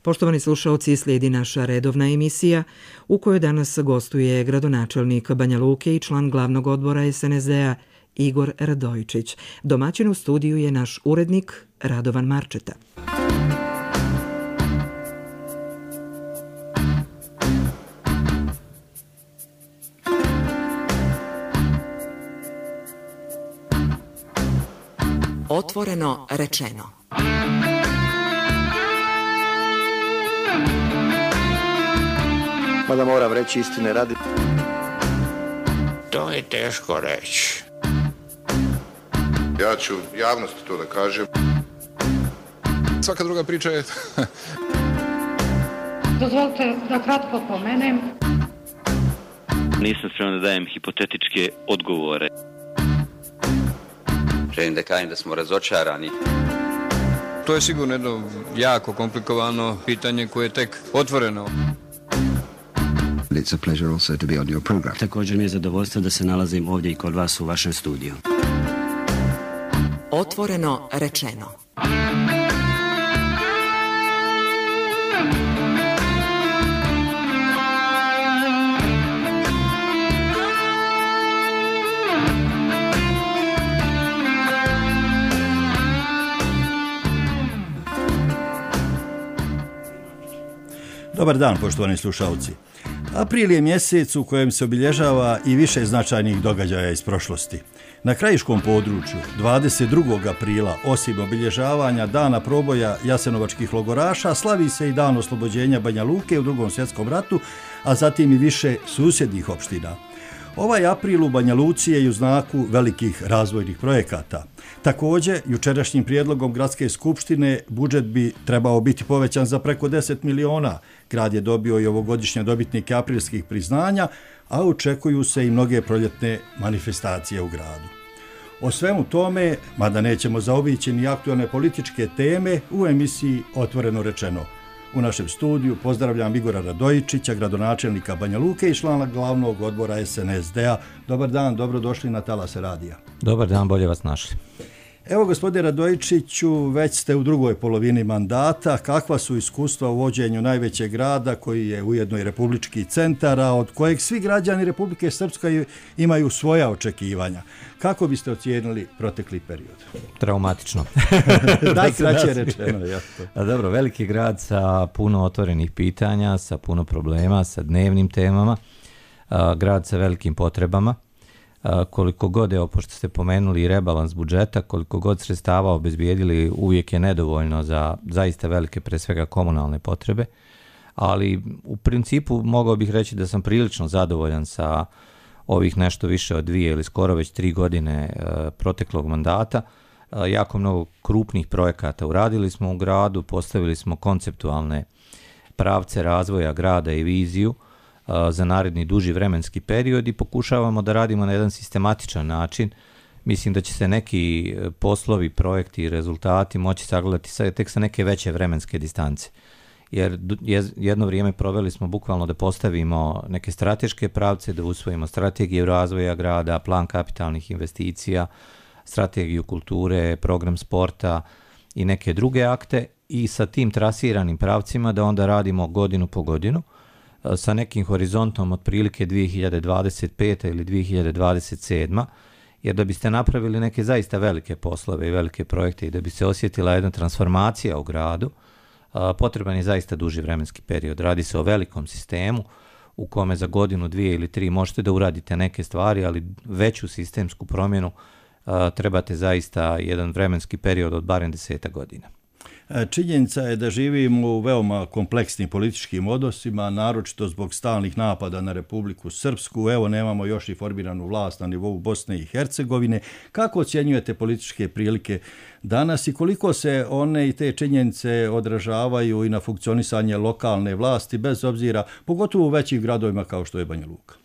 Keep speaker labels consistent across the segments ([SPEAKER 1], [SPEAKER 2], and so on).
[SPEAKER 1] Poštovani slušaoci, slijedi naša redovna emisija u kojoj danas gostuje gradonačelnik Banja Luke i član glavnog odbora SNSD-a Igor Radojičić. Domaćin u studiju je naš urednik Radovan Marčeta.
[SPEAKER 2] Otvoreno rečeno.
[SPEAKER 3] Mada moram reći istine radi.
[SPEAKER 4] To je teško reći.
[SPEAKER 5] Ja ću javnosti to da kažem.
[SPEAKER 6] Svaka druga priča je...
[SPEAKER 7] Dozvolite da kratko pomenem.
[SPEAKER 8] Nisam spreman da dajem hipotetičke odgovore.
[SPEAKER 9] Želim da kažem da smo razočarani.
[SPEAKER 6] To je sigurno jedno jako komplikovano pitanje koje je tek otvoreno.
[SPEAKER 10] It's a pleasure also to be on your program.
[SPEAKER 11] Također mi je zadovoljstvo da se nalazim ovdje i kod vas u vašem studiju.
[SPEAKER 2] Otvoreno rečeno.
[SPEAKER 12] Dobar dan, poštovani slušalci. April je mjesec u kojem se obilježava i više značajnih događaja iz prošlosti. Na krajiškom području 22. aprila, osim obilježavanja dana proboja jasenovačkih logoraša, slavi se i dan oslobođenja Banja Luke u Drugom svjetskom ratu, a zatim i više susjednih opština. Ovaj april u Banja Luci je u znaku velikih razvojnih projekata. Također, jučerašnjim prijedlogom gradske skupštine budžet bi trebao biti povećan za preko 10 miliona. Grad je dobio i ovogodišnje dobitnike aprilskih priznanja, a očekuju se i mnoge proljetne manifestacije u gradu. O svemu tome, mada nećemo zaobići ni aktualne političke teme, u emisiji Otvoreno rečeno. U našem studiju pozdravljam Igora Radojičića, gradonačelnika Banja Luke i člana glavnog odbora SNSD-a. Dobar dan, dobrodošli na Talase radija.
[SPEAKER 13] Dobar dan, bolje vas našli.
[SPEAKER 12] Evo, gospodine Radojičiću, već ste u drugoj polovini mandata. Kakva su iskustva u vođenju najvećeg grada, koji je ujedno i republički centar, a od kojeg svi građani Republike Srpske imaju svoja očekivanja? Kako biste ocijenili protekli period?
[SPEAKER 13] Traumatično.
[SPEAKER 12] Najkraće rečeno.
[SPEAKER 13] Dobro, veliki grad sa puno otvorenih pitanja, sa puno problema, sa dnevnim temama, grad sa velikim potrebama. Koliko god, evo, pošto ste pomenuli i rebalans budžeta, koliko god sredstava obezbijedili, uvijek je nedovoljno za zaista velike, pre svega komunalne potrebe, ali u principu mogao bih reći da sam prilično zadovoljan sa ovih nešto više od 2 ili skoro već 3 godine proteklog mandata. Jako mnogo krupnih projekata uradili smo u gradu, postavili smo konceptualne pravce razvoja grada i viziju za naredni duži vremenski period i pokušavamo da radimo na jedan sistematičan način. Mislim da će se neki poslovi, projekti i rezultati moći sagledati tek sa neke veće vremenske distance. Jer jedno vrijeme proveli smo bukvalno da postavimo neke strateške pravce, da usvojimo strategiju razvoja grada, plan kapitalnih investicija, strategiju kulture, program sporta i neke druge akte i sa tim trasiranim pravcima da onda radimo godinu po godinu sa nekim horizontom otprilike 2025. ili 2027. Jer da biste napravili neke zaista velike poslove i velike projekte i da bi se osjetila jedna transformacija u gradu, potreban je zaista duži vremenski period. Radi se o velikom sistemu u kome za godinu, 2 ili 3 možete da uradite neke stvari, ali veću sistemsku promjenu trebate zaista jedan vremenski period od barem 10 godina.
[SPEAKER 12] Činjenica je da živimo u veoma kompleksnim političkim odnosima, naročito zbog stalnih napada na Republiku Srpsku. Evo, nemamo još i formiranu vlast na nivou Bosne i Hercegovine. Kako ocjenjujete političke prilike danas i koliko se one i te činjenice odražavaju i na funkcionisanje lokalne vlasti, bez obzira, pogotovo u većim gradovima kao što je Banja Luka?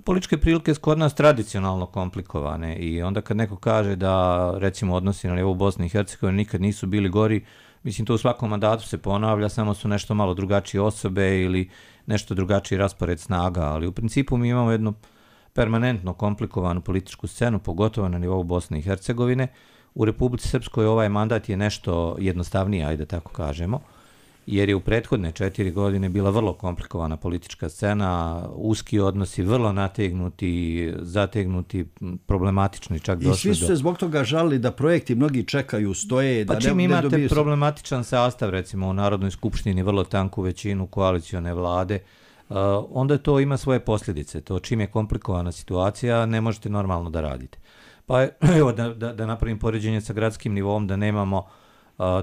[SPEAKER 13] Političke prilike su kod nas tradicionalno komplikovane i onda kad neko kaže da, recimo, odnosi na nivou Bosne i Hercegovine nikad nisu bili gori, mislim, to u svakom mandatu se ponavlja, samo su nešto malo drugačije osobe ili nešto drugačiji raspored snaga, ali u principu mi imamo jednu permanentno komplikovanu političku scenu, pogotovo na nivou Bosne i Hercegovine. U Republici Srpskoj ovaj mandat je nešto jednostavniji, ajde tako kažemo, jer je u prethodne 4 godine bila vrlo komplikovana politička scena, uski odnosi, vrlo nategnuti, zategnuti, problematični, čak došli do...
[SPEAKER 12] I svi su se zbog toga žalili da projekti mnogi čekaju, stoje...
[SPEAKER 13] Pa čim imate problematičan sastav, recimo u Narodnoj skupštini, vrlo tanku većinu koalicione vlade, onda to ima svoje posljedice. To čim je komplikovana situacija, ne možete normalno da radite. Pa evo da napravim poređenje sa gradskim nivom, da nemamo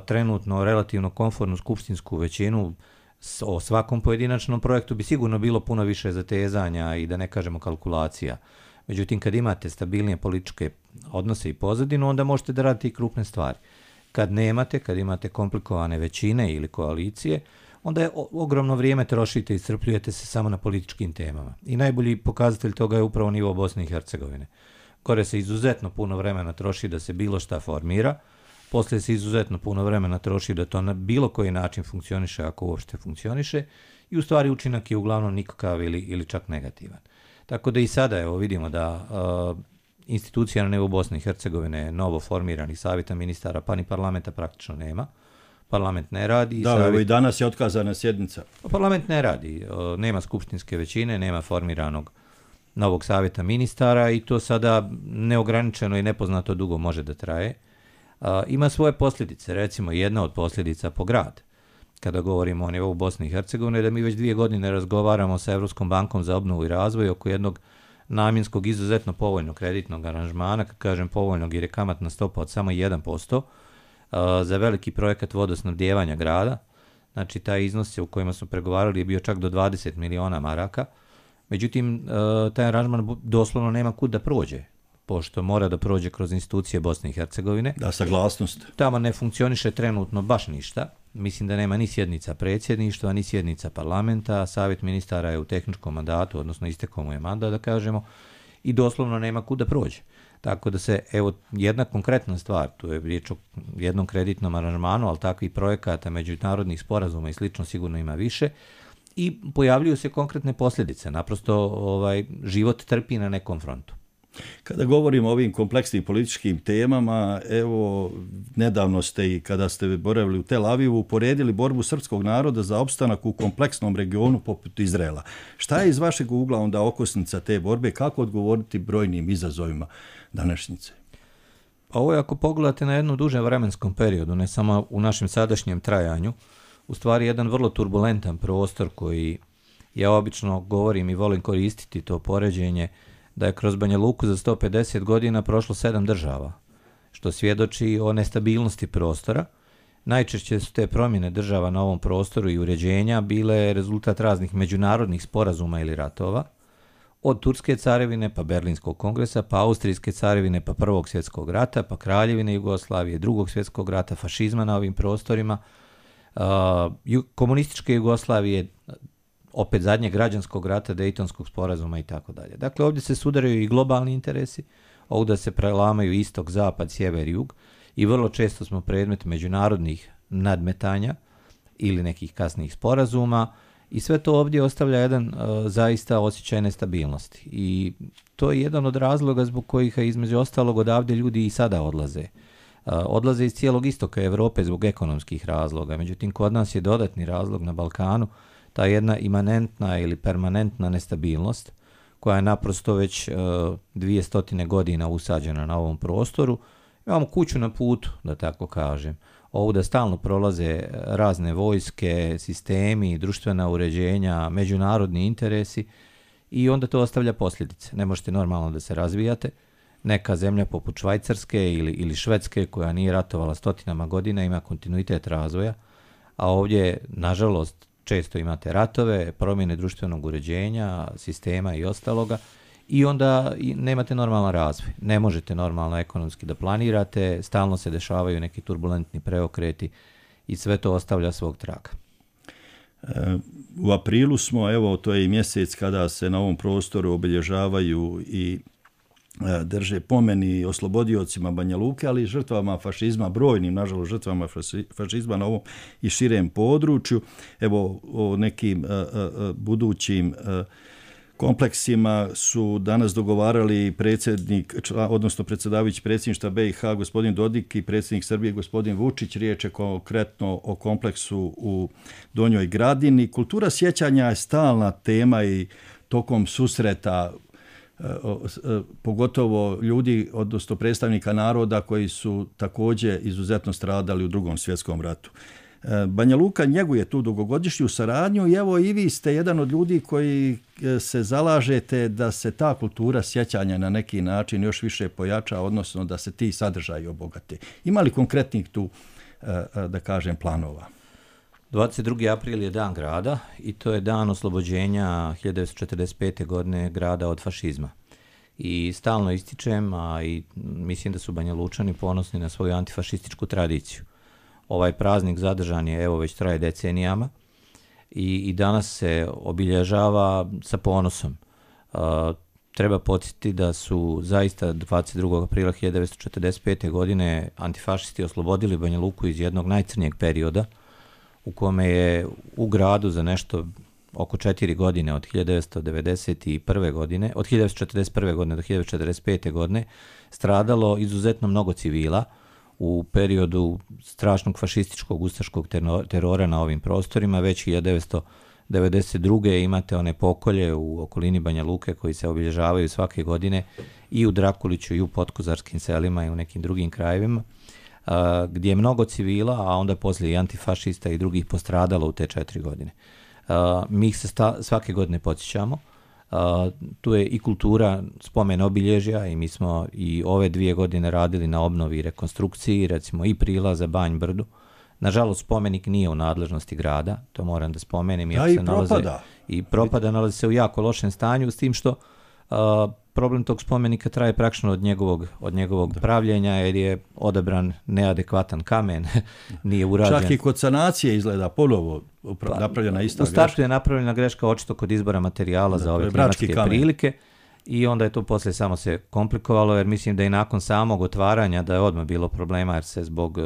[SPEAKER 13] trenutno relativno komfortnu skupštinsku većinu, o svakom pojedinačnom projektu bi sigurno bilo puno više zatezanja i da ne kažemo kalkulacija. Međutim, kad imate stabilnije političke odnose i pozadinu, onda možete da radite i krupne stvari. Kad imate komplikovane većine ili koalicije, onda je ogromno vrijeme trošite i iscrpljujete se samo na političkim temama. I najbolji pokazatelj toga je upravo nivo Bosne i Hercegovine. Gore se izuzetno puno vremena troši da se bilo šta formira, poslije se izuzetno puno vremena troši da to na bilo koji način funkcioniše, ako uopšte funkcioniše, i u stvari učinak je uglavnom nikakav ili čak negativan. Tako da i sada evo vidimo da institucija na nivou Bosne i Hercegovine, novo formiranih savjeta ministara, pa ni parlamenta praktično nema. Parlament ne radi.
[SPEAKER 12] Da, i danas je otkazana sjednica.
[SPEAKER 13] Parlament ne radi, nema skupštinske većine, nema formiranog novog savjeta ministara i to sada neograničeno i nepoznato dugo može da traje. Ima svoje posljedice, recimo jedna od posljedica po grad. Kada govorimo o nivou Bosne i Hercegovine, da mi već 2 godine razgovaramo sa Evropskom bankom za obnovu i razvoj oko jednog namjenskog izuzetno povoljnog kreditnog aranžmana, kad kažem povoljnog jer je kamatna stopa od samo 1%, za veliki projekat vodosnabdijevanja grada. Znači, taj iznos u kojima smo pregovarali je bio čak do 20 miliona maraka. Međutim, taj aranžman doslovno nema kud da prođe, pošto mora da prođe kroz institucije Bosne i Hercegovine.
[SPEAKER 12] Da, saglasnost.
[SPEAKER 13] Tamo ne funkcioniše trenutno baš ništa. Mislim da nema ni sjednica predsjedništva, ni sjednica parlamenta. Savjet ministara je u tehničkom mandatu, odnosno istekao mu je mandat, da kažemo, i doslovno nema kud da prođe. Tako da se, evo, jedna konkretna stvar, tu je riječ o jednom kreditnom aranžmanu, ali takvih projekata, međunarodnih sporazuma i slično sigurno ima više, i pojavljuju se konkretne posljedice. Naprosto život trpi na nekom frontu.
[SPEAKER 12] Kada govorimo o ovim kompleksnim političkim temama, evo, nedavno ste i kada ste boravili u Tel Avivu uporedili borbu srpskog naroda za opstanak u kompleksnom regionu poput Izraela. Šta je iz vašeg ugla onda okosnica te borbe? Kako odgovoriti brojnim izazovima današnjice?
[SPEAKER 13] Pa ovo je, ako pogledate na jednu dužem vremenskom periodu, ne samo u našem sadašnjem trajanju, u stvari jedan vrlo turbulentan prostor koji ja obično govorim i volim koristiti to poređenje, da je kroz Banja Luku za 150 godina prošlo 7 država, što svjedoči o nestabilnosti prostora. Najčešće su te promjene država na ovom prostoru i uređenja bile rezultat raznih međunarodnih sporazuma ili ratova, od Turske carevine pa Berlinskog kongresa, pa Austrijske carevine pa Prvog svjetskog rata, pa Kraljevine Jugoslavije, Drugog svjetskog rata, fašizma na ovim prostorima, komunističke Jugoslavije, opet zadnjeg građanskog rata, Dejtonskog sporazuma i tako dalje. Dakle, ovdje se sudaraju i globalni interesi, ovdje se prelamaju istok, zapad, sjever, jug i vrlo često smo predmet međunarodnih nadmetanja ili nekih kasnijih sporazuma i sve to ovdje ostavlja jedan zaista osjećaj nestabilnosti. I to je jedan od razloga zbog kojih između ostalog odavdje ljudi i sada odlaze. Odlaze iz cijelog istoka Europe zbog ekonomskih razloga. Međutim, kod nas je dodatni razlog na Balkanu ta jedna imanentna ili permanentna nestabilnost koja je naprosto već 200 godina usađena na ovom prostoru. Imamo kuću na putu, da tako kažem. Ovdje stalno prolaze razne vojske, sistemi, društvena uređenja, međunarodni interesi i onda to ostavlja posljedice. Ne možete normalno da se razvijate. Neka zemlja poput Švajcarske ili Švedske koja nije ratovala stotinama godina ima kontinuitet razvoja, a ovdje, nažalost, često imate ratove, promjene društvenog uređenja, sistema i ostaloga i onda nemate normalan razvoj. Ne možete normalno ekonomski da planirate, stalno se dešavaju neki turbulentni preokreti i sve to ostavlja svog traga.
[SPEAKER 12] U aprilu smo, evo, to je i mjesec kada se na ovom prostoru obilježavaju i drže pomeni oslobodiocima Banja Luke, ali i žrtvama fašizma, brojnim, nažalost, žrtvama fašizma na ovom i širem području. Evo, o nekim budućim kompleksima su danas dogovarali odnosno predsjedavajući predsjedništva BiH gospodin Dodik i predsjednik Srbije gospodin Vučić. Riječ je konkretno o kompleksu u Donjoj Gradini. Kultura sjećanja je stalna tema i tokom susreta pogotovo ljudi, odnosno predstavnika naroda koji su također izuzetno stradali u Drugom svjetskom ratu. Banja Luka njeguje tu dugogodišnju saradnju i evo i vi ste jedan od ljudi koji se zalažete da se ta kultura sjećanja na neki način još više pojača, odnosno da se ti sadržaji obogate. Ima li konkretnih tu, da kažem, planova?
[SPEAKER 13] 22. april je dan grada i to je dan oslobođenja 1945. godine grada od fašizma. I stalno ističem, a i mislim da su Banja Lučani ponosni na svoju antifašističku tradiciju. Ovaj praznik zadržan je, evo, već traje decenijama i danas se obilježava sa ponosom. Treba podsjetiti da su zaista 22. aprila 1945. godine antifašisti oslobodili Banja Luku iz jednog najcrnijeg perioda u kome je u gradu za nešto oko 4 godine od 1991. godine, od 1941. godine do 1945. godine stradalo izuzetno mnogo civila u periodu strašnog fašističkog ustaškog terora na ovim prostorima. Već 1992. imate one pokolje u okolini Banja Luke koji se obilježavaju svake godine i u Drakuliću i u Potkozarskim selima i u nekim drugim krajevima, gdje je mnogo civila, a onda poslije i antifašista i drugih postradalo u te 4 godine. Mi ih se svake godine podsjećamo. Tu je i kultura spomen obilježja i mi smo i ove 2 godine radili na obnovi i rekonstrukciji, recimo i prilaza Banj Brdu. Nažalost, spomenik nije u nadležnosti grada, to moram da spomenem. I propada, nalazi se u jako lošem stanju, s tim što problem tog spomenika traje praktično od njegovog pravljenja, jer je odabran neadekvatan kamen, nije urađen.
[SPEAKER 12] Čak i kod sanacije izgleda ponovo napravljena ista greška.
[SPEAKER 13] U startu je napravljena greška očito kod izbora materijala za ove klimatske prilike i onda je to poslije samo se komplikovalo, jer mislim da i nakon samog otvaranja da je odmah bilo problema, jer se zbog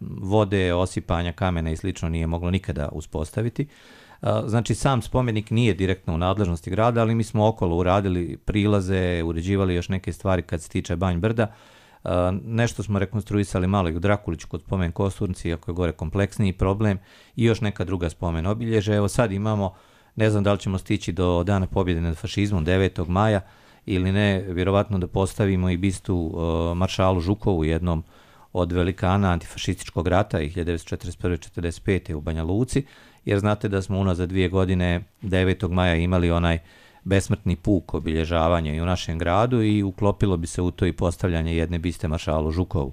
[SPEAKER 13] vode, osipanja kamena i slično nije moglo nikada uspostaviti. Znači, sam spomenik nije direktno u nadležnosti grada, ali mi smo okolo uradili prilaze, uređivali još neke stvari kad se tiče Banj Brda. Nešto smo rekonstruisali malo i u Drakuliću kod spomen Kosturnici, iako je gore kompleksniji problem, i još neka druga spomen obilježja. Evo sad imamo, ne znam da li ćemo stići do Dana pobjede nad fašizmom 9. maja ili ne, vjerovatno da postavimo i bistu maršalu Žukovu, jednom od velikana antifašističkog rata i 1941-1945. u Banja Luci, jer znate da smo unazad 2 godine 9. maja imali onaj besmrtni puk obilježavanja i u našem gradu i uklopilo bi se u to i postavljanje jedne biste maršalu Žukovu.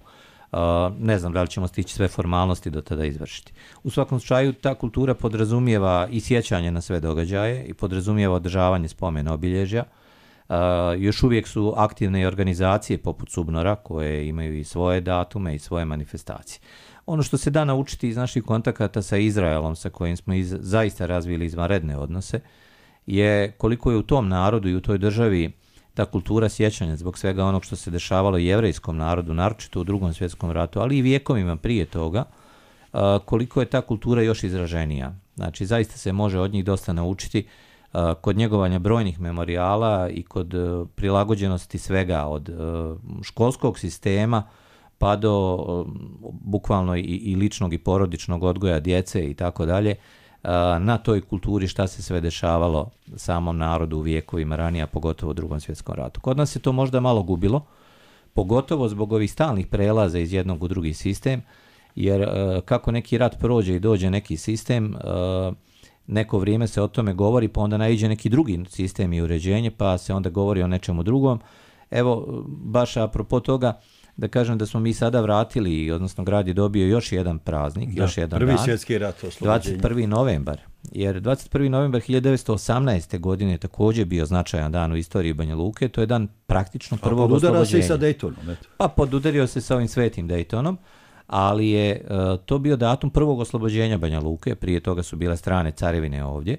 [SPEAKER 13] Ne znam da li ćemo stići sve formalnosti do tada izvršiti. U svakom slučaju, ta kultura podrazumijeva i sjećanje na sve događaje i podrazumijeva održavanje spomena obilježja. Još uvijek su aktivne i organizacije poput Subnora koje imaju i svoje datume i svoje manifestacije. Ono što se da naučiti iz naših kontakata sa Izraelom, sa kojim smo zaista razvili izvanredne odnose, je koliko je u tom narodu i u toj državi ta kultura sjećanja zbog svega onog što se dešavalo jevrejskom narodu, naročito u Drugom svjetskom ratu, ali i vijekovima prije toga, koliko je ta kultura još izraženija. Znači, zaista se može od njih dosta naučiti kod njegovanja brojnih memorijala i kod prilagođenosti svega od školskog sistema pa do bukvalno i ličnog i porodičnog odgoja djece i tako dalje, na toj kulturi šta se sve dešavalo samom narodu u vijekovima ranije, a pogotovo u Drugom svjetskom ratu. Kod nas se to možda malo gubilo, pogotovo zbog ovih stalnih prelaza iz jednog u drugi sistem, jer kako neki rat prođe i dođe neki sistem, neko vrijeme se o tome govori, pa onda naiđe neki drugi sistem i uređenje, pa se onda govori o nečemu drugom. Evo, baš apropo toga, da kažem da smo mi sada vratili, odnosno grad je dobio još jedan praznik, još jedan
[SPEAKER 12] prvi
[SPEAKER 13] dan.
[SPEAKER 12] Svjetski rat oslobođenja.
[SPEAKER 13] 21. novembar. Jer 21. novembar 1918. godine je također bio značajan dan u istoriji Banja Luke. To je dan praktično prvog oslobođenja.
[SPEAKER 12] Podudario se i sa Daytonom.
[SPEAKER 13] Pa podudario se sa ovim svetim Daytonom, ali je to bio datum prvog oslobođenja Banja Luke. Prije toga su bile strane carevine ovdje.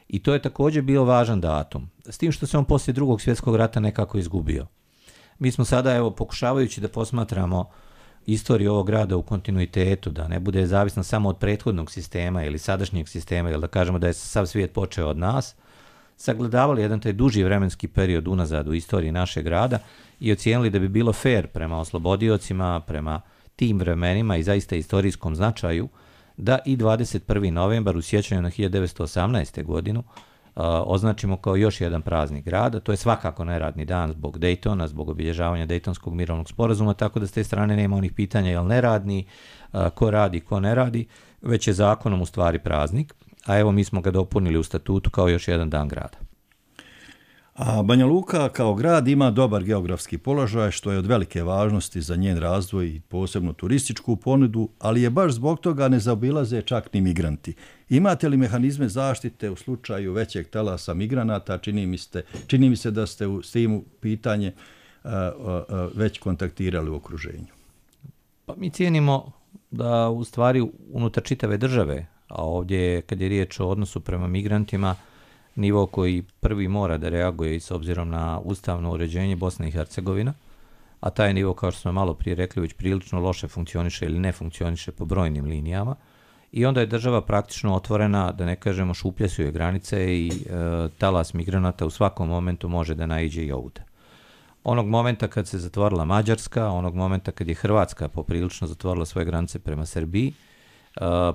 [SPEAKER 13] I to je također bio važan datum. S tim što se on poslije Drugog svjetskog rata nekako izgubio. Mi smo sada, evo, pokušavajući da posmatramo istoriju ovog grada u kontinuitetu, da ne bude zavisno samo od prethodnog sistema ili sadašnjeg sistema, ili da kažemo da je sav svijet počeo od nas, sagledavali jedan taj duži vremenski period unazad u istoriji našeg grada i ocijenili da bi bilo fair prema oslobodiocima, prema tim vremenima i zaista istorijskom značaju, da i 21. novembar u sjećanju na 1918. godinu označimo kao još jedan praznik grada. To je svakako neradni dan zbog Daytona, zbog obilježavanja Daytonskog mirovnog sporazuma, tako da s te strane nema onih pitanja jel neradni, ko radi, ko ne radi, već je zakonom u stvari praznik, a evo mi smo ga dopunili u statutu kao još jedan dan grada.
[SPEAKER 12] A Banja Luka kao grad ima dobar geografski položaj, što je od velike važnosti za njen razvoj i posebno turističku ponudu, ali je baš zbog toga ne zaobilaze čak ni migranti. Imate li mehanizme zaštite u slučaju većeg talasa migranata? Čini mi se da ste s tim pitanje već kontaktirali u okruženju.
[SPEAKER 13] Pa mi cijenimo da u stvari unutar čitave države, a ovdje kad je riječ o odnosu prema migrantima, nivo koji prvi mora da reaguje i s obzirom na ustavno uređenje Bosne i Hercegovina, a taj nivo, kao što smo malo prije rekli, već prilično loše funkcioniše ili ne funkcioniše po brojnim linijama, i onda je država praktično otvorena, da ne kažemo šupljasuje granice i talas migranata u svakom momentu može da naiđe i ovdje. Onog momenta kad se zatvorila Mađarska, onog momenta kad je Hrvatska poprilično zatvorila svoje granice prema Srbiji,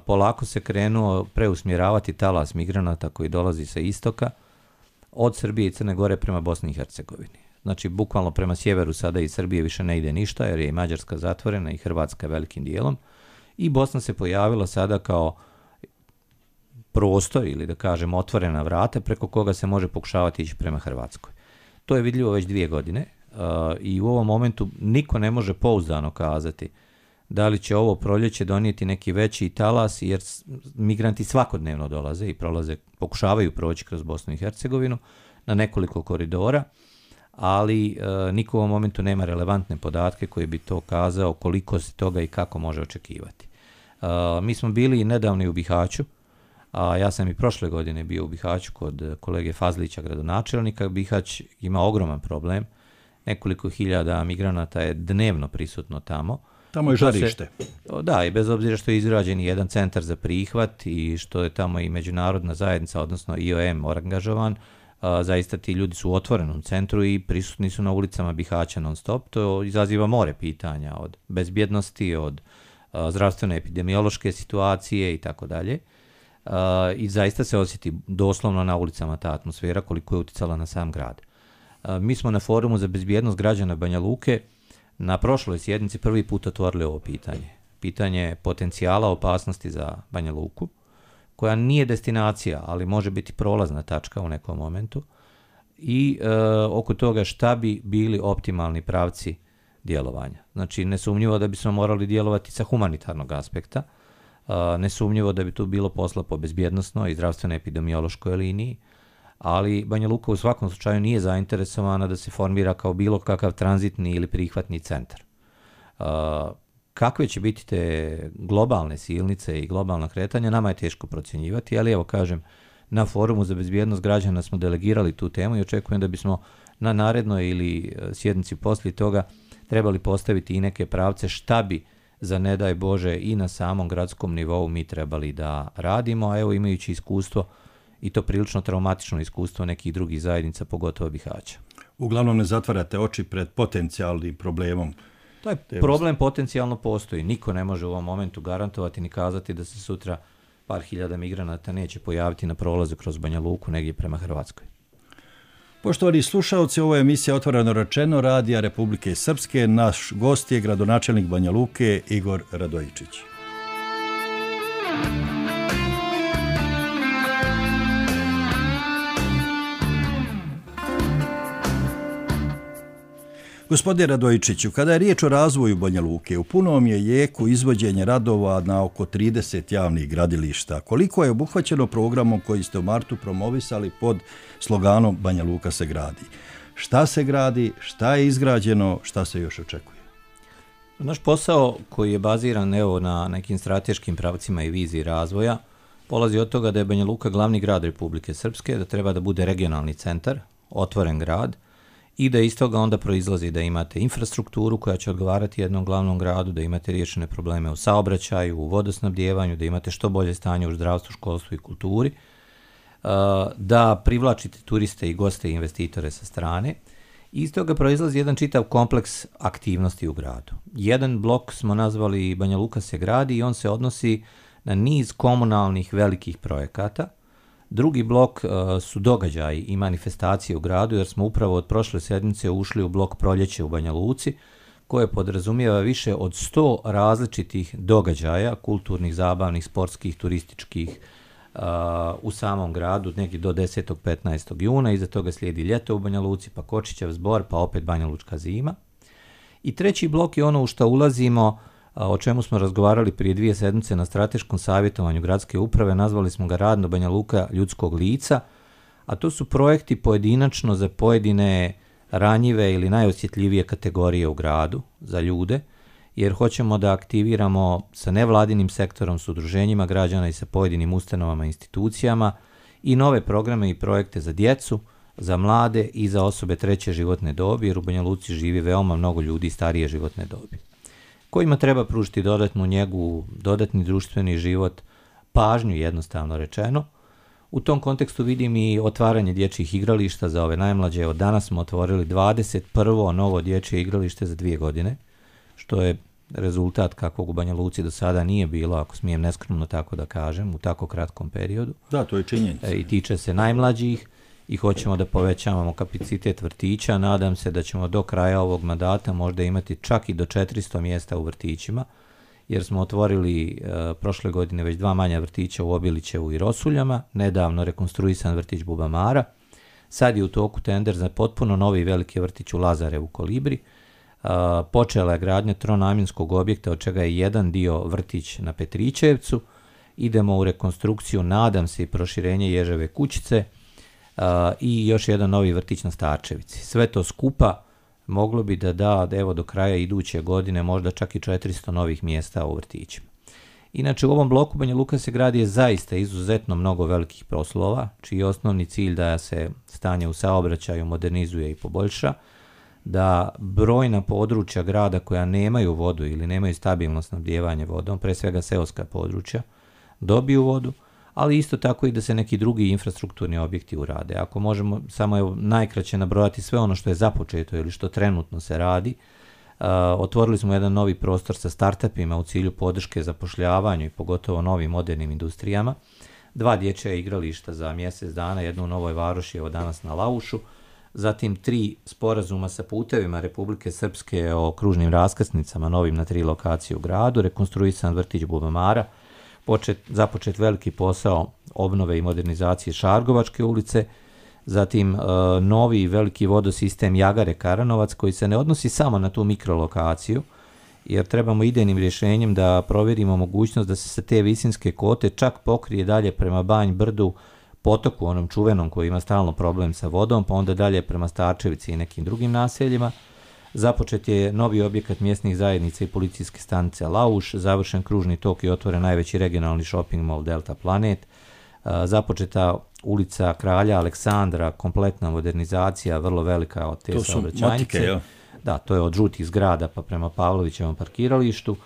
[SPEAKER 13] polako se krenuo preusmjeravati talas migranata koji dolazi sa istoka od Srbije i Crne Gore prema Bosni i Hercegovini. Znači, bukvalno prema sjeveru sada i Srbije više ne ide ništa, jer je i Mađarska zatvorena i Hrvatska velikim dijelom. I Bosna se pojavila sada kao prostor ili da kažem otvorena vrata preko koga se može pokušavati ići prema Hrvatskoj. To je vidljivo već 2 godine i u ovom momentu niko ne može pouzdano kazati da li će ovo proljeće donijeti neki veći talas, jer migranti svakodnevno dolaze i prolaze, pokušavaju proći kroz Bosnu i Hercegovinu na nekoliko koridora, ali niko u ovom momentu nema relevantne podatke koji bi to kazao koliko se toga i kako može očekivati. Mi smo bili nedavno u Bihaću, a ja sam i prošle godine bio u Bihaću kod kolege Fazlića, gradonačelnika. Bihać ima ogroman problem, nekoliko hiljada migranata je dnevno prisutno tamo.
[SPEAKER 12] Tamo je žarište.
[SPEAKER 13] Da, i bez obzira što je izgrađen jedan centar za prihvat i što je tamo i međunarodna zajednica, odnosno IOM angažovan, zaista ti ljudi su u otvorenom centru i prisutni su na ulicama Bihaća non stop. To izaziva more pitanja od bezbjednosti, od zdravstvene epidemiološke situacije i tako dalje. I zaista se osjeti doslovno na ulicama ta atmosfera koliko je uticala na sam grad. Mi smo na Forumu za bezbjednost građana Banja Luke na prošloj sjednici prvi put otvorili ovo pitanje. Pitanje potencijala opasnosti za Banja Luku, koja nije destinacija, ali može biti prolazna tačka u nekom momentu, i oko toga šta bi bili optimalni pravci djelovanja. Znači, nesumnjivo da bismo morali djelovati sa humanitarnog aspekta, nesumnjivo da bi tu bilo posla po bezbjednosnoj i zdravstveno epidemiološkoj liniji, ali Banja Luka u svakom slučaju nije zainteresovana da se formira kao bilo kakav tranzitni ili prihvatni centar. Kakve će biti te globalne silnice i globalna kretanja, nama je teško procjenjivati, ali evo kažem, na Forumu za bezbjednost građana smo delegirali tu temu i očekujem da bismo na narednoj ili sjednici poslije toga trebali postaviti i neke pravce šta bi za ne daj Bože i na samom gradskom nivou mi trebali da radimo, a evo imajući iskustvo i to prilično traumatično iskustvo nekih drugih zajednica, pogotovo Bihaća.
[SPEAKER 12] Uglavnom ne zatvarate oči pred potencijalnim problemom.
[SPEAKER 13] Taj problem potencijalno postoji. Niko ne može u ovom momentu garantovati ni kazati da se sutra par hiljada migranata neće pojaviti na prolazu kroz Banja Luku negdje prema Hrvatskoj.
[SPEAKER 12] Poštovani slušalci, ovo je emisija Otvoreno rečeno Radija Republike Srpske. Naš gost je gradonačelnik Banja Luke Igor Radojičić. Gospodine Radojičiću, kada je riječ o razvoju Banja Luke, u punom je jeku izvođenje radova na oko 30 javnih gradilišta. Koliko je obuhvaćeno programom koji ste u martu promovisali pod sloganom Banja Luka se gradi? Šta se gradi, šta je izgrađeno, šta se još očekuje?
[SPEAKER 13] Naš posao koji je baziran na nekim strateškim pravcima i viziji razvoja polazi od toga da je Banja Luka glavni grad Republike Srpske, da treba da bude regionalni centar, otvoren grad, i da iz toga onda proizlazi da imate infrastrukturu koja će odgovarati jednom glavnom gradu, da imate riješene probleme u saobraćaju, u vodosnabdijevanju, da imate što bolje stanje u zdravstvu, školstvu i kulturi. da privlačite turiste i goste i investitore sa strane. Iz toga proizlazi jedan čitav kompleks aktivnosti u gradu. Jedan blok smo nazvali Banja Luka se gradi i on se odnosi na niz komunalnih velikih projekata. Drugi blok su događaji i manifestacije u gradu, jer smo upravo od prošle sedmice ušli u blok Proljeće u Banja Luci, koje podrazumijeva više od 100 različitih događaja, kulturnih, zabavnih, sportskih, turističkih, u samom gradu, negdje do 10. 15. juna, iza toga slijedi ljeto u Banja Luci, pa Kočićev zbor, pa opet Banja Lučka zima. I treći blok je ono u što ulazimo, o čemu smo razgovarali prije 2 sedmice na strateškom savjetovanju gradske uprave, nazvali smo ga Radno Banja Luka ljudskog lica, a to su projekti pojedinačno za pojedine ranjive ili najosjetljivije kategorije u gradu, za ljude, jer hoćemo da aktiviramo sa nevladinim sektorom, s udruženjima građana i sa pojedinim ustanovama i institucijama i nove programe i projekte za djecu, za mlade i za osobe treće životne dobi, jer u Banja Luci živi veoma mnogo ljudi starije životne dobi, kojima treba pružiti dodatnu njegu, dodatni društveni život, pažnju jednostavno rečeno. U tom kontekstu vidim i otvaranje dječjih igrališta za ove najmlađe. Od danas smo otvorili 21. novo dječje igralište za 2 godine, što je rezultat kakvog u Banja Luci do sada nije bilo, ako smijem neskromno tako da kažem, u tako kratkom periodu.
[SPEAKER 12] Da, to je činjenica.
[SPEAKER 13] I tiče se najmlađih i hoćemo da povećavamo kapacitet vrtića. Nadam se da ćemo do kraja ovog mandata možda imati čak i do 400 mjesta u vrtićima, jer smo otvorili prošle godine već 2 manja vrtića u Obilićevu i Rosuljama, nedavno rekonstruisan vrtić Bubamara, sad je u toku tender za potpuno novi veliki vrtić u Lazarevu Kolibri, počela je gradnja tronamjenskog objekta, od čega je jedan dio vrtić na Petrićevcu, idemo u rekonstrukciju, nadam se i proširenje Ježeve kućice i još jedan novi vrtić na Starčevici. Sve to skupa moglo bi da evo do kraja iduće godine možda čak i 400 novih mjesta u vrtićima. Inače, u ovom bloku Banja Luka se gradi je zaista izuzetno mnogo velikih poslova, čiji je osnovni cilj da se stanje u saobraćaju modernizuje i poboljša, da brojna područja grada koja nemaju vodu ili nemaju stabilno snabdijevanje vodom, pre svega seoska područja, dobiju vodu, ali isto tako i da se neki drugi infrastrukturni objekti urade. Ako možemo samo najkraće nabrojati sve ono što je započeto ili što trenutno se radi, otvorili smo jedan novi prostor sa startupima u cilju podrške zapošljavanju i pogotovo novim modernim industrijama, 2 dječja igrališta za mjesec dana, jedno u Novoj Varoši, evo danas na Laušu, zatim 3 sporazuma sa putevima Republike Srpske o kružnim raskrsnicama novim na 3 lokacije u gradu, rekonstruisan vrtić Bubamara, započet veliki posao obnove i modernizacije Šargovačke ulice, zatim novi veliki vodosistem Jagare Karanovac, koji se ne odnosi samo na tu mikrolokaciju, jer trebamo idejnim rješenjem da provjerimo mogućnost da se sa te visinske kote čak pokrije dalje prema Banj Brdu, potoku onom čuvenom koji ima stalno problem sa vodom, pa onda dalje prema Starčevici i nekim drugim naseljima. Započet je novi objekat mjesnih zajednica i policijske stanice Lauš, završen kružni tok i otvoren najveći regionalni shopping mall Delta Planet, započeta ulica Kralja Aleksandra, kompletna modernizacija, vrlo velika od te saobraćajnice. Da, to je od žutih zgrada pa prema Pavlovićevom parkiralištu.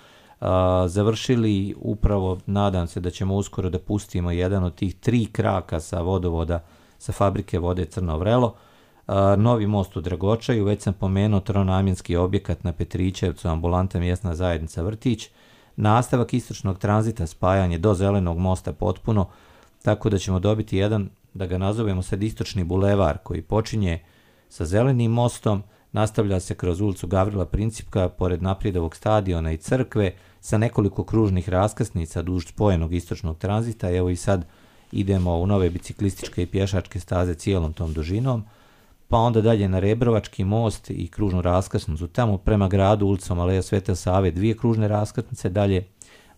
[SPEAKER 13] Završili upravo, nadam se da ćemo uskoro da pustimo jedan od tih 3 kraka sa vodovoda, sa fabrike vode Crno Vrelo, novi most u Dragočaju, već sam pomenuo tronamjenski objekat na Petrićevcu, ambulanta mjesna zajednica vrtić, nastavak istočnog tranzita, spajanje do Zelenog mosta potpuno, tako da ćemo dobiti jedan, da ga nazovemo sad istočni bulevar, koji počinje sa Zelenim mostom, nastavlja se kroz ulicu Gavrila Principka, pored Naprijed stadiona i crkve, sa nekoliko kružnih raskrsnica duž spojenog istočnog tranzita. Evo i sad idemo u nove biciklističke i pješačke staze cijelom tom dužinom, pa onda dalje na Rebrovački most i kružnu raskrsnicu, tamo prema gradu ulicom Aleja Svete Save 2 kružne raskrsnice, dalje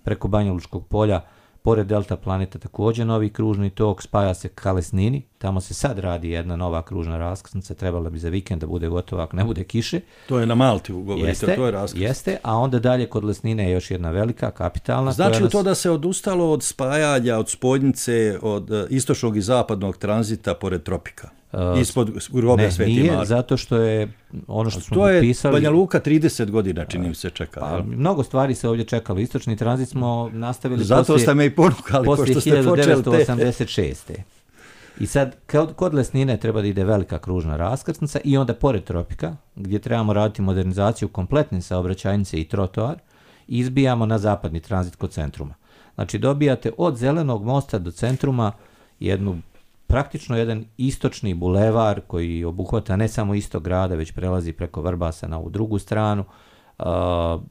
[SPEAKER 13] preko Banja Lučkog polja, pored Delta Planeta također novi kružni tok, spaja se ka Lesnini, tamo se sad radi jedna nova kružna raskrsnica, trebala bi za vikend da bude gotova ako ne bude kiše.
[SPEAKER 12] To je na Malti, govorite, to je raskrsnica.
[SPEAKER 13] Jeste, a onda dalje kod Lesnine je još jedna velika, kapitalna.
[SPEAKER 12] Znači to da se odustalo od spajanja, od spojnice, od istočnog i zapadnog tranzita pored tropika? Ispod groblja Sveti Marko.
[SPEAKER 13] Nije, zato što je ono što smo
[SPEAKER 12] To
[SPEAKER 13] potpisali...
[SPEAKER 12] je Banja Luka 30 godina, čini mi se, čekala.
[SPEAKER 13] Pa, mnogo stvari se ovdje čekalo. Istočni tranzit smo nastavili
[SPEAKER 12] zato ste me i ponukali,
[SPEAKER 13] poslije
[SPEAKER 12] pošto ste počeli
[SPEAKER 13] 1986. I sad, kod Lesnine treba da ide velika kružna raskrsnica i onda pored Tropika, gdje trebamo raditi modernizaciju kompletne saobraćajnice i trotoar, izbijamo na zapadni tranzit kod centruma. Znači, dobijate od Zelenog mosta do centruma praktično jedan istočni bulevar koji obuhvata ne samo istok grada, već prelazi preko Vrbasa na ovu drugu stranu,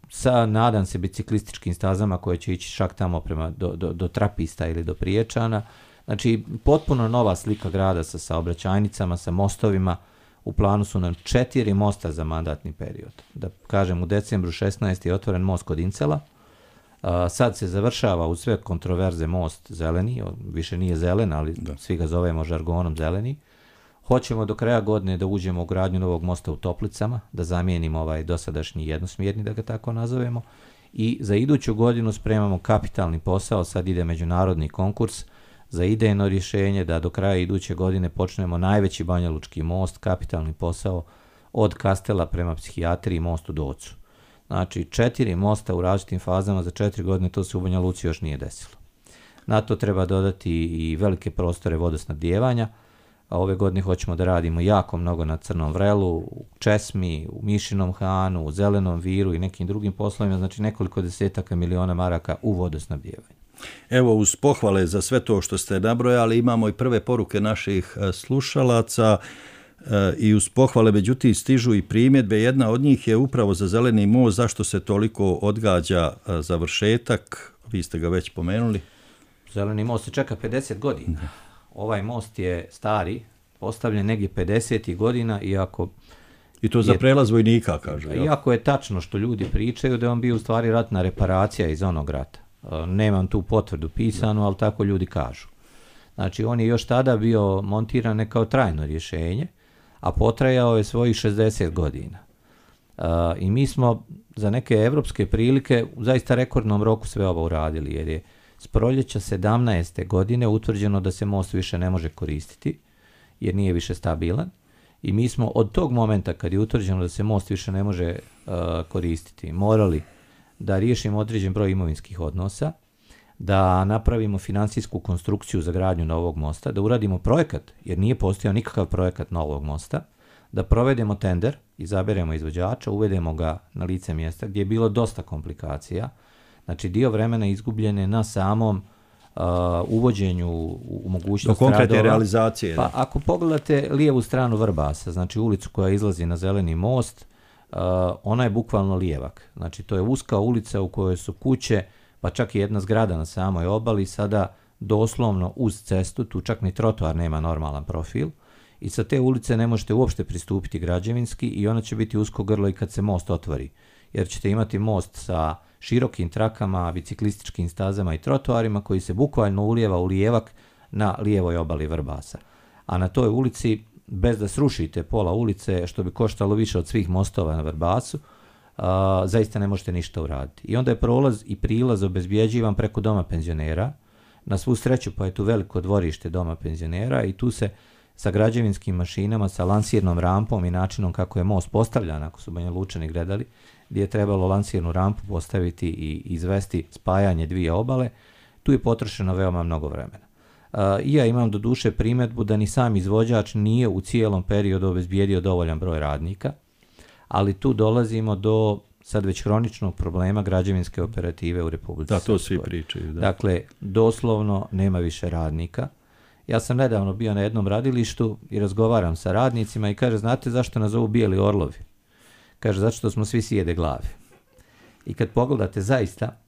[SPEAKER 13] sa, nadam se, biciklističkim stazama koje će ići čak tamo prema do Trapista ili do Priječana. Znači, potpuno nova slika grada sa saobraćajnicama, sa mostovima. U planu su nam 4 mosta za mandatni period. Da kažem, u decembru 16. je otvoren most kod Incela. Sad se završava uz sve kontroverze most zeleni, više nije zelen, ali svi ga zovemo žargonom zeleni. Hoćemo do kraja godine da uđemo u gradnju novog mosta u Toplicama, da zamijenimo ovaj dosadašnji jednosmjerni, da ga tako nazovemo. I za iduću godinu spremamo kapitalni posao, sad ide međunarodni konkurs za idejno rješenje, da do kraja iduće godine počnemo najveći banjalučki most, kapitalni posao od Kastela prema psihijatriji, most u Docu. Znači, 4 mosta u različitim fazama za 4 godine, to se u Banja Luci još nije desilo. Na to treba dodati i velike prostore vodosnabdijevanja, a ove godine hoćemo da radimo jako mnogo na Crnom Vrelu, u Česmi, u Mišinom Hanu, u Zelenom Viru i nekim drugim poslovima, znači nekoliko desetaka miliona maraka u vodosnabdijevanju.
[SPEAKER 12] Evo, uz pohvale za sve to što ste nabrojali, imamo i prve poruke naših slušalaca i uz pohvale, međutim, stižu i primjedbe. Jedna od njih je upravo za Zeleni most, zašto se toliko odgađa završetak, vi ste ga već pomenuli.
[SPEAKER 13] Zeleni most se čeka 50 godina. Ovaj most je stari, postavljen negdje 50. godina, iako...
[SPEAKER 12] I to za prelaz vojnika, kažu.
[SPEAKER 13] Iako je tačno što ljudi pričaju da je on bio u stvari ratna reparacija iz onog rata. Nemam tu potvrdu pisanu, ali tako ljudi kažu. Znači, on je još tada bio montiran ne kao trajno rješenje, a potrajao je svojih 60 godina. I mi smo za neke evropske prilike u zaista rekordnom roku sve ovo uradili, jer je s proljeća 17. godine utvrđeno da se most više ne može koristiti, jer nije više stabilan. I mi smo od tog momenta kad je utvrđeno da se most više ne može koristiti, morali da riješimo određen broj imovinskih odnosa, da napravimo financijsku konstrukciju za gradnju novog mosta, da uradimo projekat, jer nije postojao nikakav projekat novog mosta, da provedemo tender, izaberemo izvođača, uvedemo ga na lice mjesta gdje je bilo dosta komplikacija. Znači, dio vremena izgubljene na samom uvođenju u mogućnost
[SPEAKER 12] do konkretne realizacije.
[SPEAKER 13] Pa ako pogledate lijevu stranu Vrbasa, znači ulicu koja izlazi na Zeleni most, ona je bukvalno lijevak. Znači, to je uska ulica u kojoj su kuće, pa čak i jedna zgrada na samoj obali, sada doslovno uz cestu, tu čak ni trotoar nema normalan profil, i sa te ulice ne možete uopšte pristupiti građevinski i ona će biti usko grlo i kad se most otvori, jer ćete imati most sa širokim trakama, biciklističkim stazama i trotoarima koji se bukvalno ulijeva u lijevak na lijevoj obali Vrbasa. A na toj ulici, bez da srušite pola ulice, što bi koštalo više od svih mostova na Vrbasu, zaista ne možete ništa uraditi. I onda je prolaz i prilaz obezbjeđivan preko doma penzionera. Na svu sreću, pa je tu veliko dvorište doma penzionera i tu se sa građevinskim mašinama, sa lansirnom rampom i načinom kako je most postavljan, ako su Banja Lučani gledali, gdje je trebalo lansirnu rampu postaviti i izvesti spajanje dvije obale, tu je potrošeno veoma mnogo vremena. I ja imam do duše primjedbu da ni sam izvođač nije u cijelom periodu obezbijedio dovoljan broj radnika, ali tu dolazimo do sad već hroničnog problema građevinske operative u Republici Srpskoj.
[SPEAKER 12] Da, to svi pričaju. Da.
[SPEAKER 13] Dakle, doslovno nema više radnika. Ja sam nedavno bio na jednom radilištu i razgovaram sa radnicima i kaže, znate zašto nas zovu bijeli orlovi? Kaže, zato što smo svi sjede glave. I kad pogledate zaista,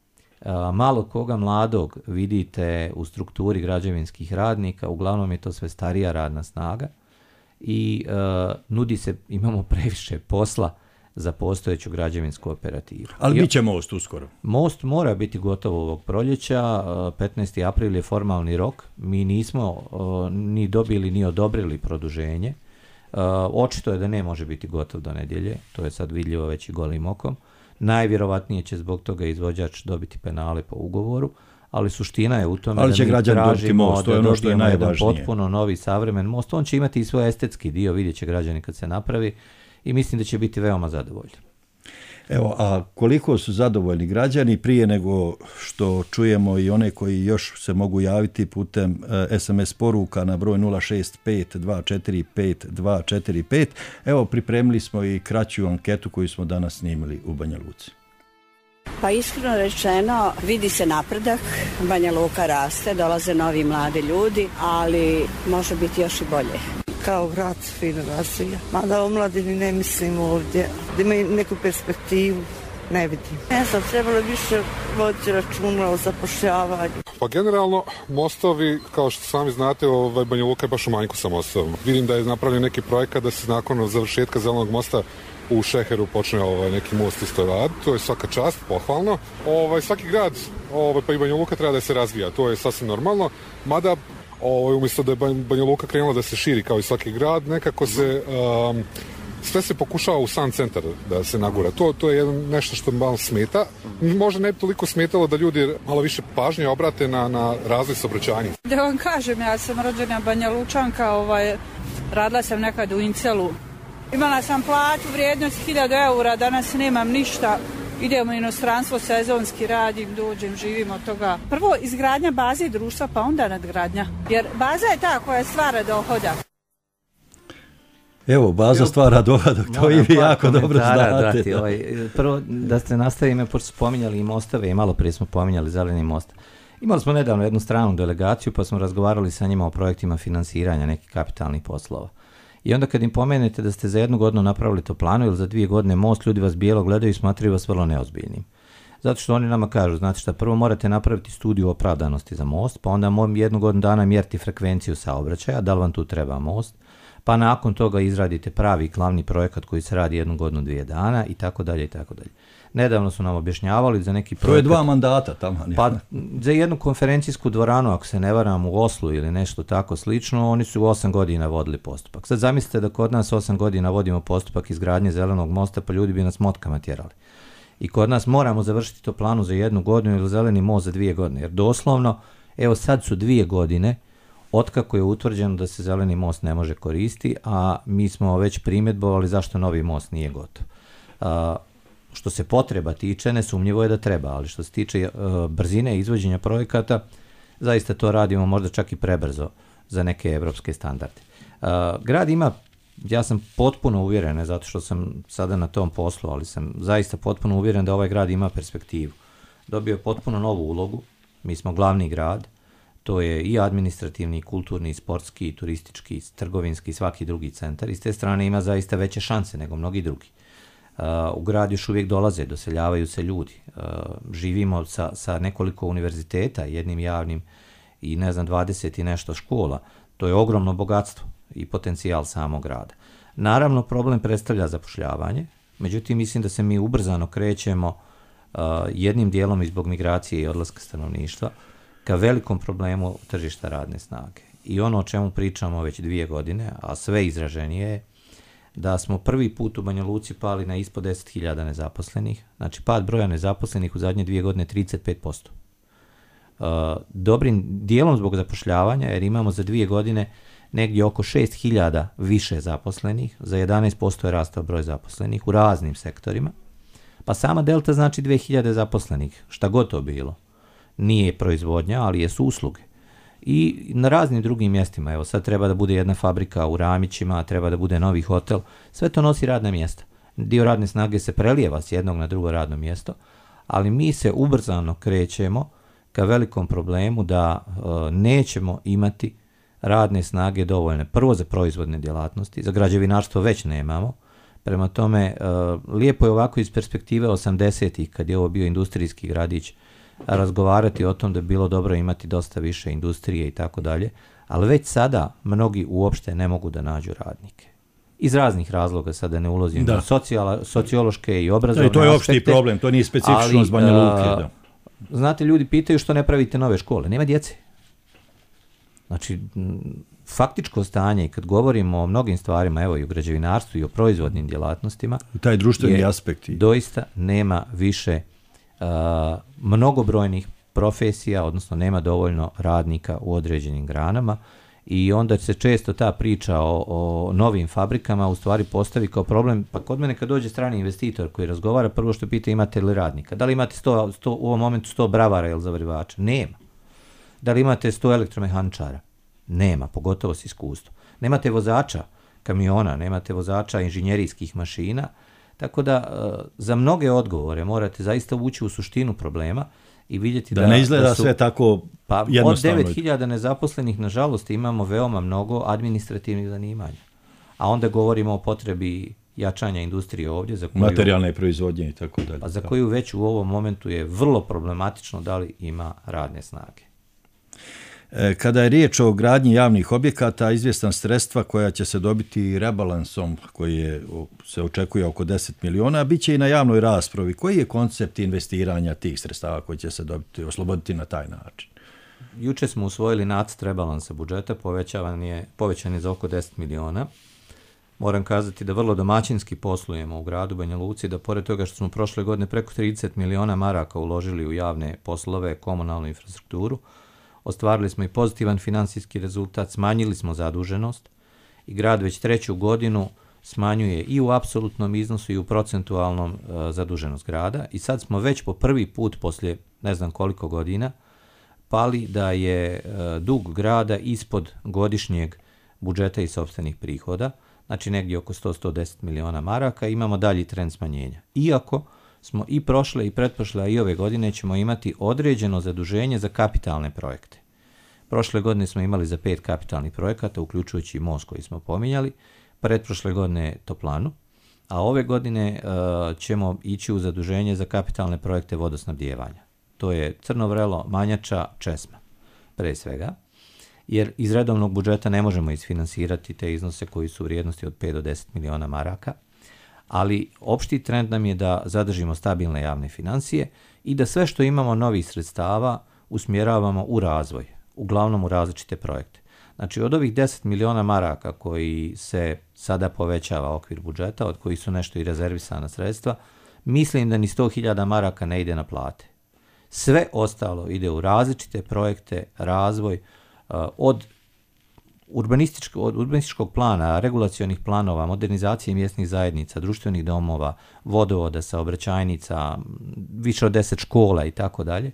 [SPEAKER 13] malo koga mladog vidite u strukturi građevinskih radnika, uglavnom je to sve starija radna snaga i nudi se, imamo previše posla za postojeću građevinsku operativu.
[SPEAKER 12] Ali bit će most uskoro.
[SPEAKER 13] Most mora biti gotov ovog proljeća, 15. april je formalni rok, mi nismo ni dobili ni odobrili produženje. Očito je da ne može biti gotov do nedjelje, to je sad vidljivo već i golim okom. Najvjerovatnije će zbog toga izvođač dobiti penale po ugovoru, ali suština je u tome da mi tražimo most, da dobijemo jedan potpuno novi savremen most. On će imati i svoj estetski dio, vidjet će građani kad se napravi i mislim da će biti veoma zadovoljni.
[SPEAKER 12] Evo, a koliko su zadovoljni građani prije nego što čujemo i one koji još se mogu javiti putem SMS poruka na broj 065-245-245. Evo, pripremili smo i kraću anketu koju smo danas snimili u Banja Luci.
[SPEAKER 3] Pa iskreno rečeno, vidi se napredak, Banja Luka raste, dolaze novi mladi ljudi, ali može biti još i bolje.
[SPEAKER 14] Kao grad fino razvija, mada o mladini ne mislim ovdje, da imaju neku perspektivu, ne vidim. Ne znam, trebalo više voditi računa o zapošljavanju.
[SPEAKER 15] Pa generalno, mostovi, kao što sami znate, Banja Luka je baš u manjku sa mostovima. Vidim da je napravljen neki projekat da se nakon završetka zelenog mosta u Šeheru počne neki most isto raditi, to je svaka čast, pohvalno. Svaki grad, pa i Banja Luka treba da se razvija, to je sasvim normalno, mada umjesto da je Banja Luka krenula da se širi kao i svaki grad, nekako se sve se pokušava u sam centar da se nagura. To je nešto što malo smeta. Možda ne bi toliko smetalo da ljudi malo više pažnje obrate na razvoj saobraćajanja.
[SPEAKER 16] Da vam kažem, ja sam rođena Banja Lučanka, radila sam nekad u Incelu. Imala sam plaću vrijednost 1000 eura, danas nemam ništa. Idemo u inostranstvo, sezonski radim, dođem, živim od toga. Prvo izgradnja baze društva, pa onda nadgradnja. Jer baza je ta koja stvara dohodak.
[SPEAKER 12] Evo, baza stvara dohodak, to i vi jako dobro znate.
[SPEAKER 13] Prvo, da ste nastavili, pošto spominjali i mostove, i malo prije smo pominjali zeleni most. Imali smo nedavno jednu stranu delegaciju, pa smo razgovarali sa njima o projektima finansiranja nekih kapitalnih poslova. I onda kad im pomenete da ste za 1 godinu napravili to planu ili za 2 godine most, ljudi vas bijelo gledaju i smatraju vas vrlo neozbiljnim. Zato što oni nama kažu, znate šta, prvo morate napraviti studiju opravdanosti za most, pa onda 1 godinu dana mjeriti frekvenciju saobraćaja, da li vam tu treba most, pa nakon toga izradite pravi glavni projekat koji se radi 1 godinu, 2 dana i tako dalje i tako dalje. Nedavno su nam objašnjavali za neki projekat...
[SPEAKER 12] To je 2 mandata tamo.
[SPEAKER 13] Pa za jednu konferencijsku dvoranu, ako se ne varam, u Oslu ili nešto tako slično, oni su 8 godina vodili postupak. Sad zamislite da kod nas 8 godina vodimo postupak izgradnje zelenog mosta, pa ljudi bi nas motkama tjerali. I kod nas moramo završiti to planu za 1 godinu ili zeleni most za 2 godine. Jer doslovno, evo sad su 2 godine otkako je utvrđeno da se zeleni most ne može koristiti, a mi smo već primjedbovali zašto novi most nije gotov. Što se potreba tiče, nesumnjivo je da treba, ali što se tiče brzine izvođenja projekata, zaista to radimo možda čak i prebrzo za neke evropske standarde. Grad ima, ja sam potpuno uvjeren, ne zato što sam sada na tom poslu, ali sam zaista potpuno uvjeren da ovaj grad ima perspektivu. Dobio je potpuno novu ulogu, mi smo glavni grad, to je i administrativni, i kulturni, i sportski, i turistički, i trgovinski, i svaki drugi centar. I s te strane ima zaista veće šanse nego mnogi drugi. U grad još uvijek dolaze, doseljavaju se ljudi. Živimo sa nekoliko univerziteta, jednim javnim i 20 i nešto škola. To je ogromno bogatstvo i potencijal samog grada. Naravno, problem predstavlja zapošljavanje, međutim mislim da se mi ubrzano krećemo jednim dijelom i zbog migracije i odlaska stanovništva ka velikom problemu tržišta radne snage. I ono o čemu pričamo već 2 godine, a sve izraženije je da smo prvi put u Banja Luci pali na ispod 10.000 nezaposlenih. Znači, pad broja nezaposlenih u zadnje 2 godine 35%. Dobrim dijelom zbog zapošljavanja, jer imamo za 2 godine negdje oko 6.000 više zaposlenih, za 11% je rastao broj zaposlenih u raznim sektorima. Pa sama delta znači 2.000 zaposlenih, šta god to bilo. Nije proizvodnja, ali jesu usluge. I na raznim drugim mjestima, evo sad treba da bude jedna fabrika u Ramićima, treba da bude novi hotel, sve to nosi radna mjesta. Dio radne snage se prelijeva s jednog na drugo radno mjesto, ali mi se ubrzano krećemo ka velikom problemu da nećemo imati radne snage dovoljne. Prvo za proizvodne djelatnosti, za građevinarstvo već nemamo. Prema tome, lijepo je ovako iz perspektive 80-ih, kad je ovo bio industrijski gradić, razgovarati o tom da bi bilo dobro imati dosta više industrije i tako dalje, ali već sada mnogi uopšte ne mogu da nađu radnike. Iz raznih razloga, sada ne ulazim u sociološke i obrazovne aspekte.
[SPEAKER 12] To je opšti problem, to nije specifično z Banja Luke. Da.
[SPEAKER 13] Znate, ljudi pitaju što ne pravite nove škole. Nema djece. Znači, faktičko stanje, kad govorimo o mnogim stvarima, evo i o građevinarstvu i o proizvodnim djelatnostima,
[SPEAKER 12] taj društveni aspekt.
[SPEAKER 13] Doista nema više mnogobrojnih profesija, odnosno nema dovoljno radnika u određenim granama I onda se često ta priča o novim fabrikama u stvari postavi kao problem. Pa kod mene kad dođe strani investitor koji razgovara, prvo što pita imate li radnika. Da li imate 100 u ovom momentu 100 bravara ili zavarivača? Nema. Da li imate 100 elektromehaničara? Nema, pogotovo s iskustvom. Nemate vozača kamiona, nemate vozača inženjerijskih mašina, tako da za mnoge odgovore morate zaista ući u suštinu problema i vidjeti
[SPEAKER 12] da ne izgleda sve tako jednostavno.
[SPEAKER 13] Od 9.000 nezaposlenih, nažalost, imamo veoma mnogo administrativnih zanimanja. A onda govorimo o potrebi jačanja industrije ovdje. Za koju,
[SPEAKER 12] materijalne proizvodnje i tako dalje.
[SPEAKER 13] A za koju već u ovom momentu je vrlo problematično da li ima radne snage.
[SPEAKER 12] Kada je riječ o gradnji javnih objekata, izvjestan sredstva koja će se dobiti rebalansom koji se očekuje oko 10 miliona, bit će i na javnoj raspravi. Koji je koncept investiranja tih sredstava koji će se dobiti, osloboditi na taj način?
[SPEAKER 13] Juče smo usvojili nacrt rebalansa budžeta, povećan je za oko 10 miliona. Moram kazati da vrlo domaćinski poslujemo u gradu Banja Luci, da pored toga što smo prošle godine preko 30 miliona maraka uložili u javne poslove, komunalnu infrastrukturu, ostvarili smo i pozitivan financijski rezultat, smanjili smo zaduženost i grad već 3. godinu smanjuje i u apsolutnom iznosu i u procentualnom zaduženost grada i sad smo već po prvi put poslije ne znam koliko godina pali da je dug grada ispod godišnjeg budžeta i sopstvenih prihoda, znači negdje oko 100-110 miliona maraka, imamo dalji trend smanjenja. Iako smo i prošle i pretprošle, a i ove godine ćemo imati određeno zaduženje za kapitalne projekte. Prošle godine smo imali za 5 kapitalnih projekata, uključujući i most koji smo pominjali, pretprošle godine toplanu, a ove godine ćemo ići u zaduženje za kapitalne projekte vodosnabdijevanja. To je Crno Vrelo, Manjača, Česma, pre svega, jer iz redovnog budžeta ne možemo isfinansirati te iznose koji su u vrijednosti od 5 do 10 miliona maraka, ali opšti trend nam je da zadržimo stabilne javne financije i da sve što imamo novih sredstava usmjeravamo u razvoj, uglavnom u različite projekte. Znači od ovih 10 miliona maraka koji se sada povećava okvir budžeta, od kojih su nešto i rezervisana sredstva, mislim da ni 100.000 maraka ne ide na plate. Sve ostalo ide u različite projekte, razvoj, od urbanističkog plana, regulacionih planova, modernizacije mjesnih zajednica, društvenih domova, vodovoda, saobraćajnica, više od 10 škola i tako dalje,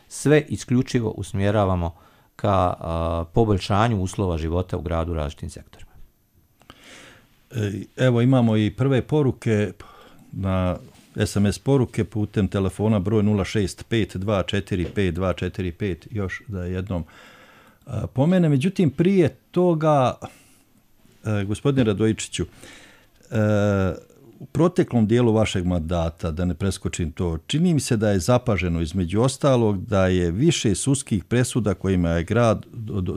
[SPEAKER 13] sve isključivo usmjeravamo ka poboljšanju uslova života u gradu u različitim sektorima.
[SPEAKER 12] Evo imamo i prve poruke na SMS poruke putem telefona broj 065245245, još da jednom pomene. Međutim, prije toga, gospodine Radojičiću, u proteklom dijelu vašeg mandata, da ne preskočim to, čini mi se da je zapaženo između ostalog da je više sudskih presuda kojima je grad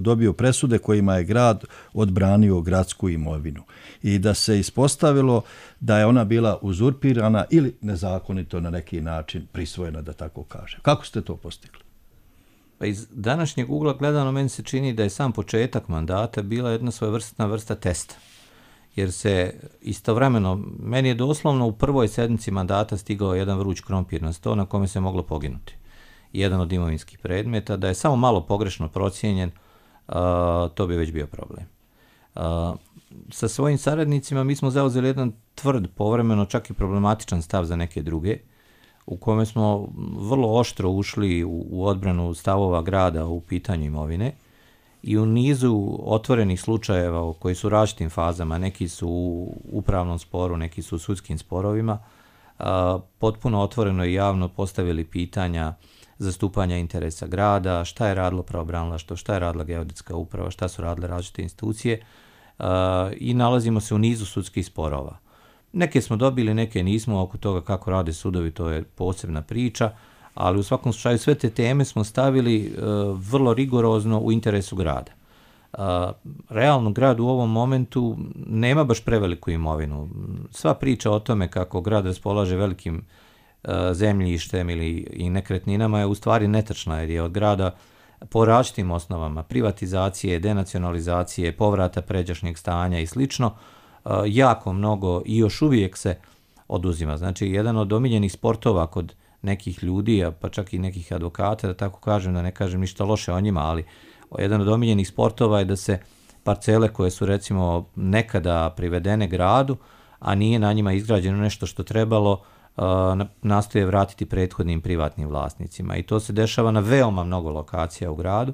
[SPEAKER 12] dobio presude kojima je grad odbranio gradsku imovinu i da se ispostavilo da je ona bila uzurpirana ili nezakonito na neki način prisvojena, da tako kažem. Kako ste to postigli?
[SPEAKER 13] Pa iz današnjeg ugla gledano meni se čini da je sam početak mandata bila jedna svojevrsna vrsta testa. Jer se istovremeno, meni je doslovno u prvoj sedmici mandata stigao jedan vruć krompir na sto na kome se moglo poginuti. Jedan od imovinskih predmeta, da je samo malo pogrešno procijenjen, to bi već bio problem. Sa svojim saradnicima mi smo zauzeli jedan tvrd, povremeno čak i problematičan stav za neke druge, u kome smo vrlo oštro ušli u odbranu stavova grada u pitanju imovine i u nizu otvorenih slučajeva koji su u različitim fazama, neki su u upravnom sporu, neki su u sudskim sporovima, potpuno otvoreno i javno postavili pitanja zastupanja interesa grada, šta je radilo pravobranilaštvo, šta je radila geodetska uprava, šta su radile različite institucije i nalazimo se u nizu sudskih sporova. Neke smo dobili, neke nismo, oko toga kako rade sudovi, to je posebna priča, ali u svakom slučaju sve te teme smo stavili vrlo rigorozno u interesu grada. Realno grad u ovom momentu nema baš preveliku imovinu. Sva priča o tome kako grad raspolaže velikim zemljištem i nekretninama je u stvari netačna, jer je od grada po različitim osnovama privatizacije, denacionalizacije, povrata pređašnjeg stanja i slično, jako mnogo i još uvijek se oduzima. Znači, jedan od omiljenih sportova kod nekih ljudi, pa čak i nekih advokata, da tako kažem, da ne kažem ništa loše o njima, ali jedan od omiljenih sportova je da se parcele koje su recimo nekada privedene gradu, a nije na njima izgrađeno nešto što trebalo, nastoje vratiti prethodnim privatnim vlasnicima. I to se dešava na veoma mnogo lokacija u gradu.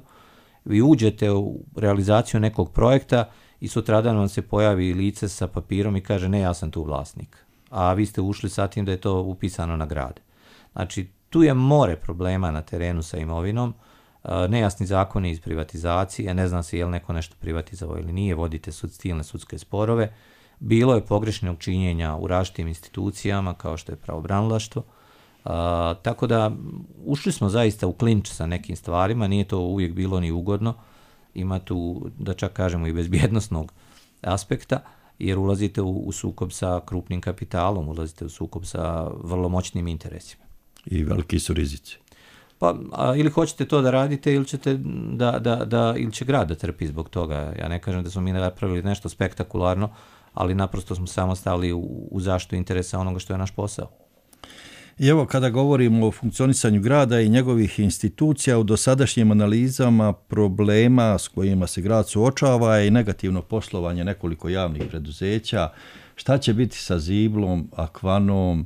[SPEAKER 13] Vi uđete u realizaciju nekog projekta i sutradan vam se pojavi lice sa papirom i kaže ne, ja sam tu vlasnik. A vi ste ušli sa tim da je to upisano na grad. Znači, tu je more problema na terenu sa imovinom, nejasni zakoni iz privatizacije, ne zna se je li neko nešto privatizovao ili nije, vodite silne sudske sporove. Bilo je pogrešnog činjenja u različitim institucijama kao što je pravobranilaštvo. Tako da ušli smo zaista u klinč sa nekim stvarima, nije to uvijek bilo ni ugodno, ima tu, da čak kažemo, i bezbjednosnog aspekta, jer ulazite u sukob sa krupnim kapitalom, ulazite u sukob sa vrlo moćnim interesima.
[SPEAKER 12] I veliki su rizici.
[SPEAKER 13] Pa, ili hoćete to da radite ili ćete ili će grad da trpi zbog toga. Ja ne kažem da smo mi napravili nešto spektakularno, ali naprosto smo samo stali u zaštitu interesa onoga što je naš posao.
[SPEAKER 12] I evo, kada govorimo o funkcionisanju grada i njegovih institucija, u dosadašnjim analizama problema s kojima se grad suočava i negativno poslovanje nekoliko javnih preduzeća, šta će biti sa Ziblom, Akvanom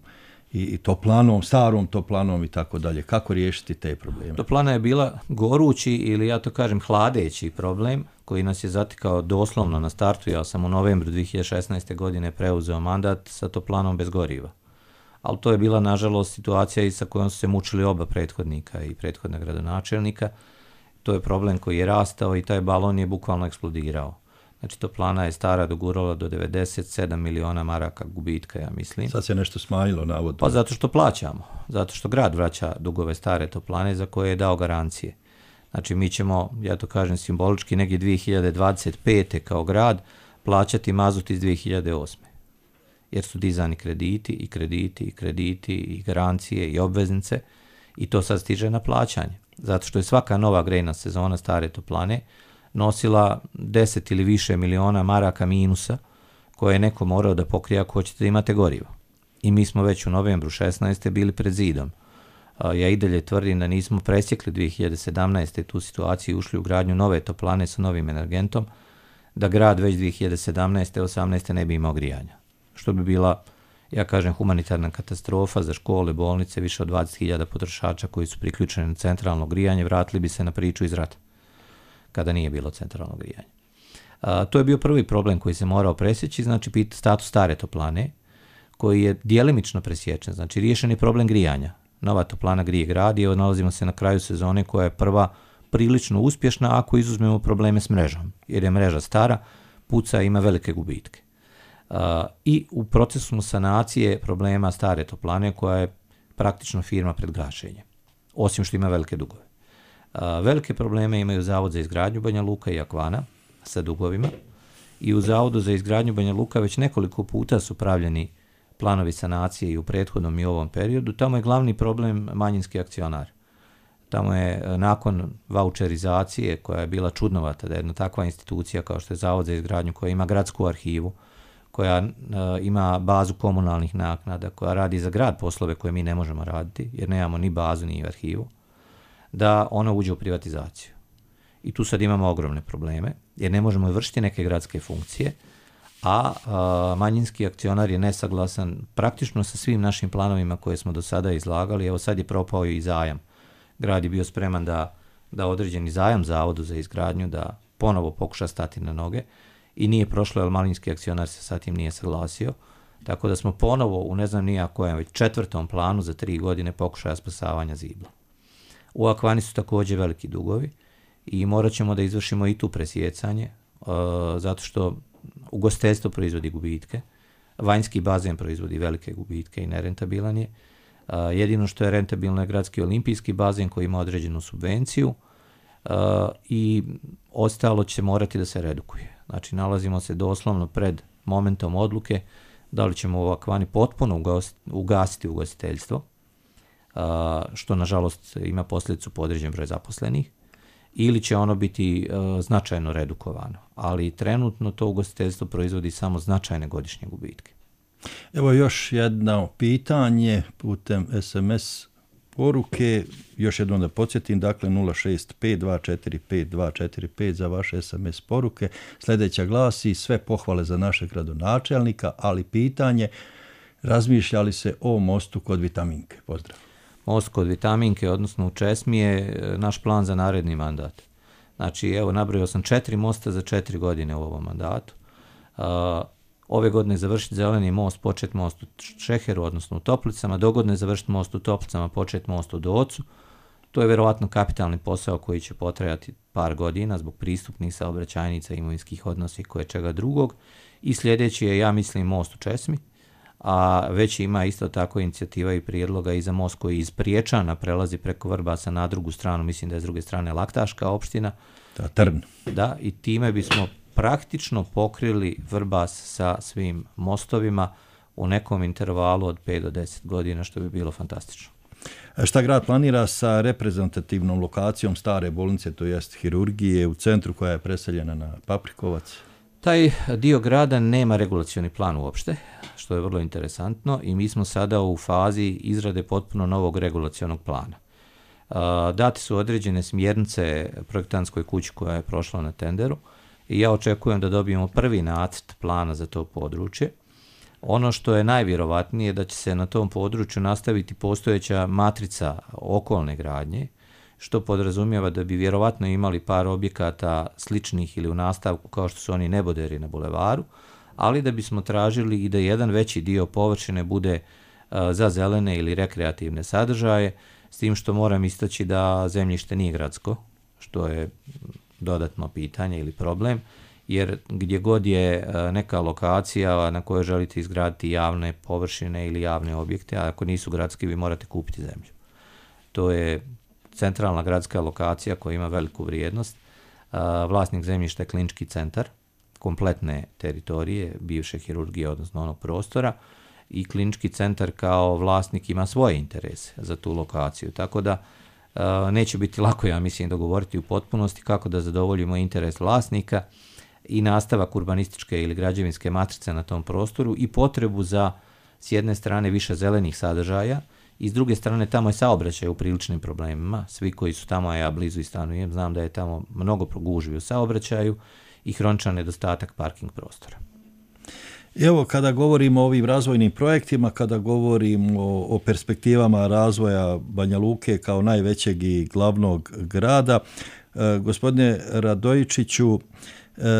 [SPEAKER 12] i Toplanom, starom Toplanom i tako dalje? Kako riješiti te probleme?
[SPEAKER 13] Toplana je bila gorući ili ja to kažem hladeći problem koji nas je zatikao doslovno na startu. Ja sam u novembru 2016. godine preuzeo mandat sa Toplanom bez goriva. Ali to je bila, nažalost, situacija i sa kojom su se mučili oba prethodnika i prethodna gradonačelnika. To je problem koji je rastao i taj balon je bukvalno eksplodirao. Znači, Toplana je stara dogurala do 97 miliona maraka gubitka, ja mislim.
[SPEAKER 12] Sad se nešto smanjilo, navodno.
[SPEAKER 13] Pa zato što plaćamo. Zato što grad vraća dugove stare Toplane za koje je dao garancije. Znači, mi ćemo, ja to kažem simbolički, negdje 2025. kao grad plaćati mazut iz 2008. Jer su dizani krediti i garancije i obveznice i to sad stiže na plaćanje. Zato što je svaka nova grejna sezona stare Toplane nosila 10 ili više miliona maraka minusa koje je neko morao da pokrije ako hoćete da imate gorivo. I mi smo već u novembru 16. bili pred zidom. Ja i dalje tvrdim da nismo presjekli 2017. tu situaciju i ušli u gradnju nove Toplane sa novim energentom, da grad već 2017. 18. ne bi imao grijanja. Što bi bila, ja kažem, humanitarna katastrofa za škole, bolnice, više od 20.000 potrošača koji su priključeni na centralno grijanje, vratili bi se na priču iz rata, kada nije bilo centralno grijanje. To je bio prvi problem koji se morao presjeći, znači status stare Toplane, koji je djelimično presječen, znači riješen je problem grijanja. Nova Toplana grije grad i nalazimo se na kraju sezone koja je prva prilično uspješna ako izuzmemo probleme s mrežom, jer je mreža stara, puca i ima velike gubitke. I u procesu sanacije problema stare Toplane koja je praktično firma pred gašenjem, osim što ima velike dugove. Velike probleme imaju Zavod za izgradnju Banja Luka i Akvana sa dugovima i u Zavodu za izgradnju Banja Luka već nekoliko puta su pravljeni planovi sanacije i u prethodnom i ovom periodu. Tamo je glavni problem manjinski akcionar. Tamo je nakon vaučerizacije koja je bila čudnovata, da jedna takva institucija kao što je Zavod za izgradnju koja ima gradsku arhivu, koja ima bazu komunalnih naknada, koja radi za grad poslove koje mi ne možemo raditi, jer nemamo ni bazu ni arhivu, da ona uđe u privatizaciju. I tu sad imamo ogromne probleme, jer ne možemo vršiti neke gradske funkcije, a manjinski akcionar je nesaglasan praktično sa svim našim planovima koje smo do sada izlagali. Evo sad je propao i zajam. Grad je bio spreman da određeni zajam Zavodu za izgradnju, da ponovo pokuša stati na noge, i nije prošlo, jer manjinski akcionar se sa tim nije saglasio. Tako da smo ponovo u ne znam nija kojem već 4. planu za 3 godine pokušaja spasavanja Zibla. U Akvani su također veliki dugovi i morat ćemo da izvršimo i tu presjecanje, zato što ugostiteljstvo proizvodi gubitke, vanjski bazen proizvodi velike gubitke i nerentabilan je. Jedino što je rentabilno je gradski olimpijski bazen koji ima određenu subvenciju i ostalo će morati da se redukuje. Znači, nalazimo se doslovno pred momentom odluke da li ćemo u Akvani potpuno ugasiti ugostiteljstvo, što nažalost ima posljedicu po određen broj zaposlenih, ili će ono biti značajno redukovano. Ali trenutno to ugostiteljstvo proizvodi samo značajne godišnje gubitke.
[SPEAKER 12] Evo još jedno pitanje putem SMS poruke. Još jednom da podsjetim, dakle 065245245 za vaše SMS poruke. Sljedeća glasi: sve pohvale za našeg gradonačelnika, ali pitanje, razmišljali se o mostu kod Vitaminke? Pozdrav.
[SPEAKER 13] Most kod Vitaminke, odnosno u Česmi, je naš plan za naredni mandat. Znači, evo, nabrojao sam 4 mosta za 4 godine u ovom mandatu. Ove godine završiti zeleni most, počet most u Šeheru, odnosno u Toplicama, dogodne završiti most u Toplicama, počet most u Docu. To je vjerovatno kapitalni posao koji će potrajati par godina zbog pristupnih saobraćajnica, imovinskih odnosa i koje čega drugog. I sljedeći je, ja mislim, most u Česmi, a već ima isto tako inicijativa i prijedloga i za most koji iz Priječana prelazi preko Vrbasa na drugu stranu, mislim da je s druge strane Laktaška opština.
[SPEAKER 12] Trn.
[SPEAKER 13] Da, i time bismo praktično pokrili Vrbas sa svim mostovima u nekom intervalu od 5 do 10 godina, što bi bilo fantastično.
[SPEAKER 12] Šta grad planira sa reprezentativnom lokacijom stare bolnice, to jest hirurgije u centru koja je preseljena na Paprikovac?
[SPEAKER 13] Taj dio grada nema regulacioni plan uopšte, što je vrlo interesantno, i mi smo sada u fazi izrade potpuno novog regulacionog plana. Date su određene smjernice projektantskoj kući koja je prošla na tenderu i ja očekujem da dobijemo prvi nacrt plana za to područje. Ono što je najvjerovatnije da će se na tom području nastaviti postojeća matrica okolne gradnje, što podrazumijeva da bi vjerovatno imali par objekata sličnih ili u nastavku kao što su oni neboderi na bulevaru, ali da bismo tražili i da jedan veći dio površine bude za zelene ili rekreativne sadržaje, s tim što moram istaći da zemljište nije gradsko, što je dodatno pitanje ili problem, jer gdje god je neka lokacija na kojoj želite izgraditi javne površine ili javne objekte, a ako nisu gradski, vi morate kupiti zemlju. To je centralna gradska lokacija koja ima veliku vrijednost. Vlasnik zemljišta je Klinički centar, kompletne teritorije, bivše hirurgije, odnosno onog prostora, i Klinički centar kao vlasnik ima svoje interese za tu lokaciju. Tako da neće biti lako, ja mislim, dogovoriti u potpunosti kako da zadovoljimo interes vlasnika i nastavak urbanističke ili građevinske matrice na tom prostoru i potrebu za, s jedne strane, više zelenih sadržaja i s druge strane tamo je saobraćaj u priličnim problemima. Svi koji su tamo, a ja blizu i stanujem, znam da je tamo mnogo gužvi u saobraćaju i hroničan nedostatak parking prostora.
[SPEAKER 12] Evo, kada govorimo o ovim razvojnim projektima, kada govorimo o perspektivama razvoja Banja Luke kao najvećeg i glavnog grada, gospodine Radojičiću,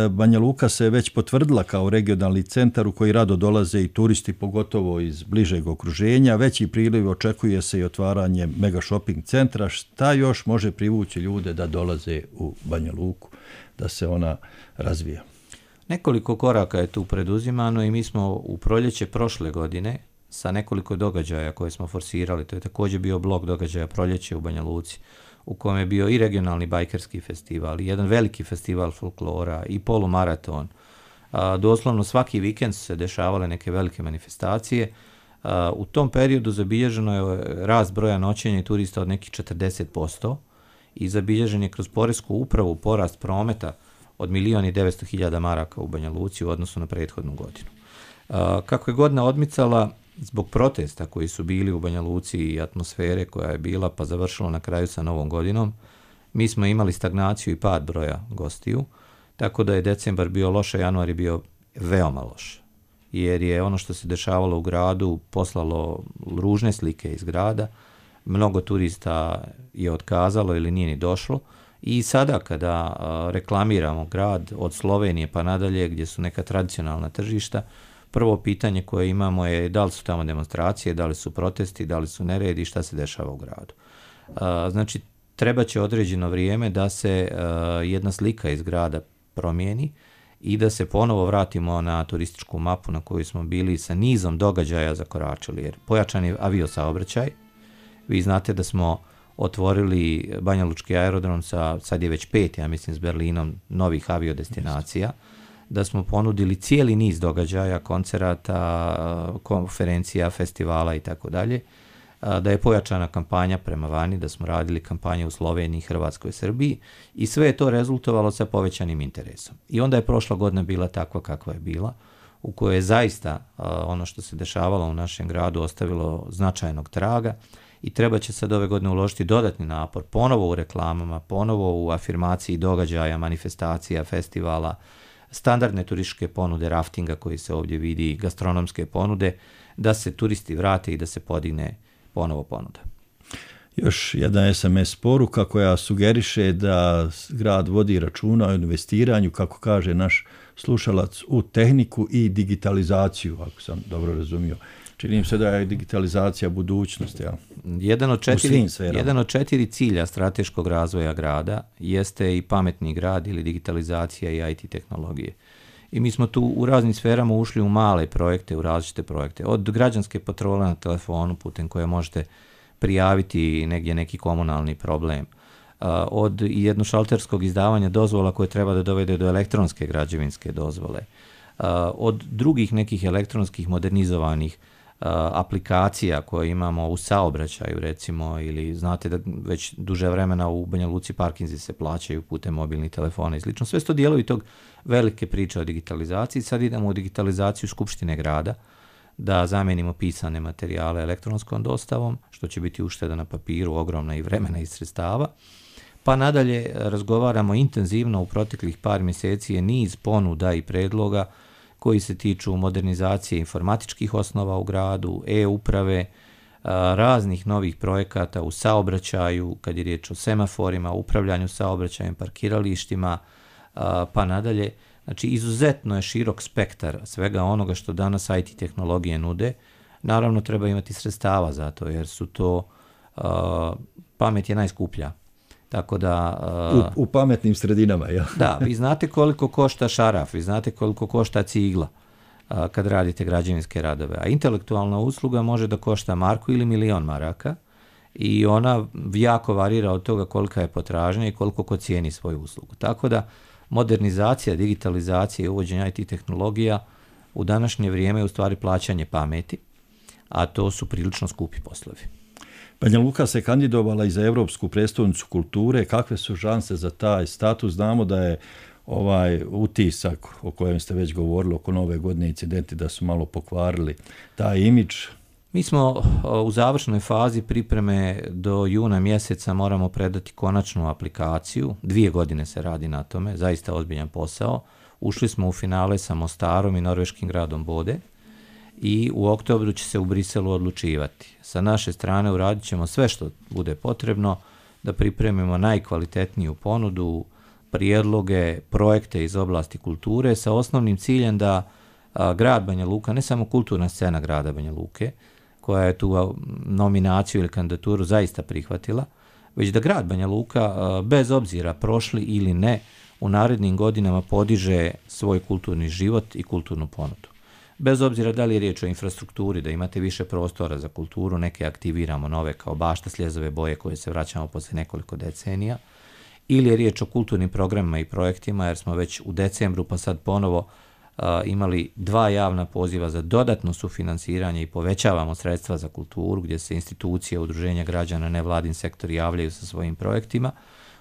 [SPEAKER 12] Banja Luka se već potvrdila kao regionalni centar u koji rado dolaze i turisti, pogotovo iz bližeg okruženja. Veći priliv očekuje se i otvaranje mega shopping centra. Šta još može privući ljude da dolaze u Banja Luku, da se ona razvija?
[SPEAKER 13] Nekoliko koraka je tu preduzimano i mi smo u proljeće prošle godine sa nekoliko događaja koje smo forsirali, to je također bio blok događaja proljeće u Banja Luci, u kojem je bio i regionalni bajkerski festival, i jedan veliki festival folklora, i polumaraton. Doslovno svaki vikend su se dešavale neke velike manifestacije. U tom periodu zabilježeno je rast broja noćenja i turista od nekih 40% i zabilježen je kroz poresku upravu porast prometa od 1.900.000 maraka u Banja Luci u odnosu na prethodnu godinu. Kako je godina odmicala, zbog protesta koji su bili u Banja Luci i atmosfere koja je bila pa završilo na kraju sa Novom godinom, mi smo imali stagnaciju i pad broja gostiju, tako da je decembar bio loš, a januar je bio veoma loš. Jer je ono što se dešavalo u gradu poslalo ružne slike iz grada, mnogo turista je otkazalo ili nije ni došlo. I sada kada reklamiramo grad od Slovenije pa nadalje gdje su neka tradicionalna tržišta, prvo pitanje koje imamo je da li su tamo demonstracije, da li su protesti, da li su neredi, šta se dešava u gradu. Znači, treba će određeno vrijeme da se jedna slika iz grada promijeni i da se ponovo vratimo na turističku mapu na kojoj smo bili sa nizom događaja zakoračili. Jer pojačan je aviosaobraćaj. Vi znate da smo otvorili Banja Lučki aerodrom sad je već 5, ja mislim, s Berlinom novih aviodestinacija, da smo ponudili cijeli niz događaja, koncerata, konferencija, festivala i tako dalje, da je pojačana kampanja prema vani, da smo radili kampanje u Sloveniji, Hrvatskoj, Srbiji i sve je to rezultovalo sa povećanim interesom. I onda je prošla godina bila takva kakva je bila, u kojoj je zaista ono što se dešavalo u našem gradu ostavilo značajnog traga i treba će sad ove godine uložiti dodatni napor, ponovo u reklamama, ponovo u afirmaciji događaja, manifestacija, festivala, standardne turističke ponude, raftinga koji se ovdje vidi, gastronomske ponude, da se turisti vrate i da se podigne ponovo ponuda.
[SPEAKER 12] Još jedna SMS poruka koja sugeriše da grad vodi računa o investiranju, kako kaže naš slušalac, u tehniku i digitalizaciju, ako sam dobro razumio. Čini mi se da je digitalizacija budućnost. Ja.
[SPEAKER 13] Jedan od 4 cilja strateškog razvoja grada jeste i pametni grad ili digitalizacija i IT tehnologije. I mi smo tu u raznim sferama ušli u male projekte, u različite projekte. Od građanske patrole na telefonu putem koje možete prijaviti negdje neki komunalni problem, od jednošalterskog izdavanja dozvola koje treba da dovede do elektronske građevinske dozvole, od drugih nekih elektronskih modernizovanih aplikacija koje imamo u saobraćaju recimo, ili znate da već duže vremena u Banja Luci parkinzi se plaćaju putem mobilnih telefona i slično. Sve su to dijelovi tog velike priče o digitalizaciji. Sad idemo u digitalizaciju Skupštine grada, da zamijenimo pisane materijale elektronskom dostavom, što će biti ušteda na papiru, ogromna i vremena i sredstava. Pa nadalje razgovaramo intenzivno u proteklih par mjeseci je niz ponuda i predloga koji se tiču modernizacije informatičkih osnova u gradu, e-uprave, raznih novih projekata u saobraćaju, kad je riječ o semaforima, upravljanju saobraćajem, parkiralištima, pa nadalje. Znači, izuzetno je širok spektar svega onoga što danas IT tehnologije nude. Naravno, treba imati sredstava za to, jer su to, pamet je najskuplja. Tako da,
[SPEAKER 12] u pametnim sredinama, ja.
[SPEAKER 13] Da, vi znate koliko košta šaraf, vi znate koliko košta cigla kad radite građevinske radove, a intelektualna usluga može da košta marku ili 1.000.000 maraka i ona jako varira od toga kolika je potražnja i koliko ko cijeni svoju uslugu. Tako da, modernizacija, digitalizacija i uvođenje IT tehnologija u današnje vrijeme je u stvari plaćanje pameti, a to su prilično skupi poslovi.
[SPEAKER 12] Banja Luka se kandidovala i za Europsku prijestolnicu kulture. Kakve su šanse za taj status? Znamo da je ovaj utisak o kojem ste već govorili oko Nove godine, incidenti da su malo pokvarili taj imidž.
[SPEAKER 13] Mi smo u završnoj fazi pripreme, do juna mjeseca moramo predati konačnu aplikaciju. 2 godine se radi na tome, zaista ozbiljan posao. Ušli smo u finale sa Mostarom i norveškim gradom Bode i u oktobru će se u Briselu odlučivati. Sa naše strane uradit ćemo sve što bude potrebno da pripremimo najkvalitetniju ponudu, prijedloge, projekte iz oblasti kulture sa osnovnim ciljem da grad Banja Luka, ne samo kulturna scena grada Banja Luke, koja je tu nominaciju ili kandidaturu zaista prihvatila, već da grad Banja Luka, bez obzira prošli ili ne, u narednim godinama podiže svoj kulturni život i kulturnu ponudu. Bez obzira da li je riječ o infrastrukturi, da imate više prostora za kulturu, neke aktiviramo nove kao Bašta Sljezove boje koje se vraćamo poslije nekoliko decenija, ili je riječ o kulturnim programima i projektima, jer smo već u decembru pa sad ponovo imali 2 javna poziva za dodatno sufinansiranje i povećavamo sredstva za kulturu, gdje se institucije, udruženja građana, nevladin sektor javljaju sa svojim projektima.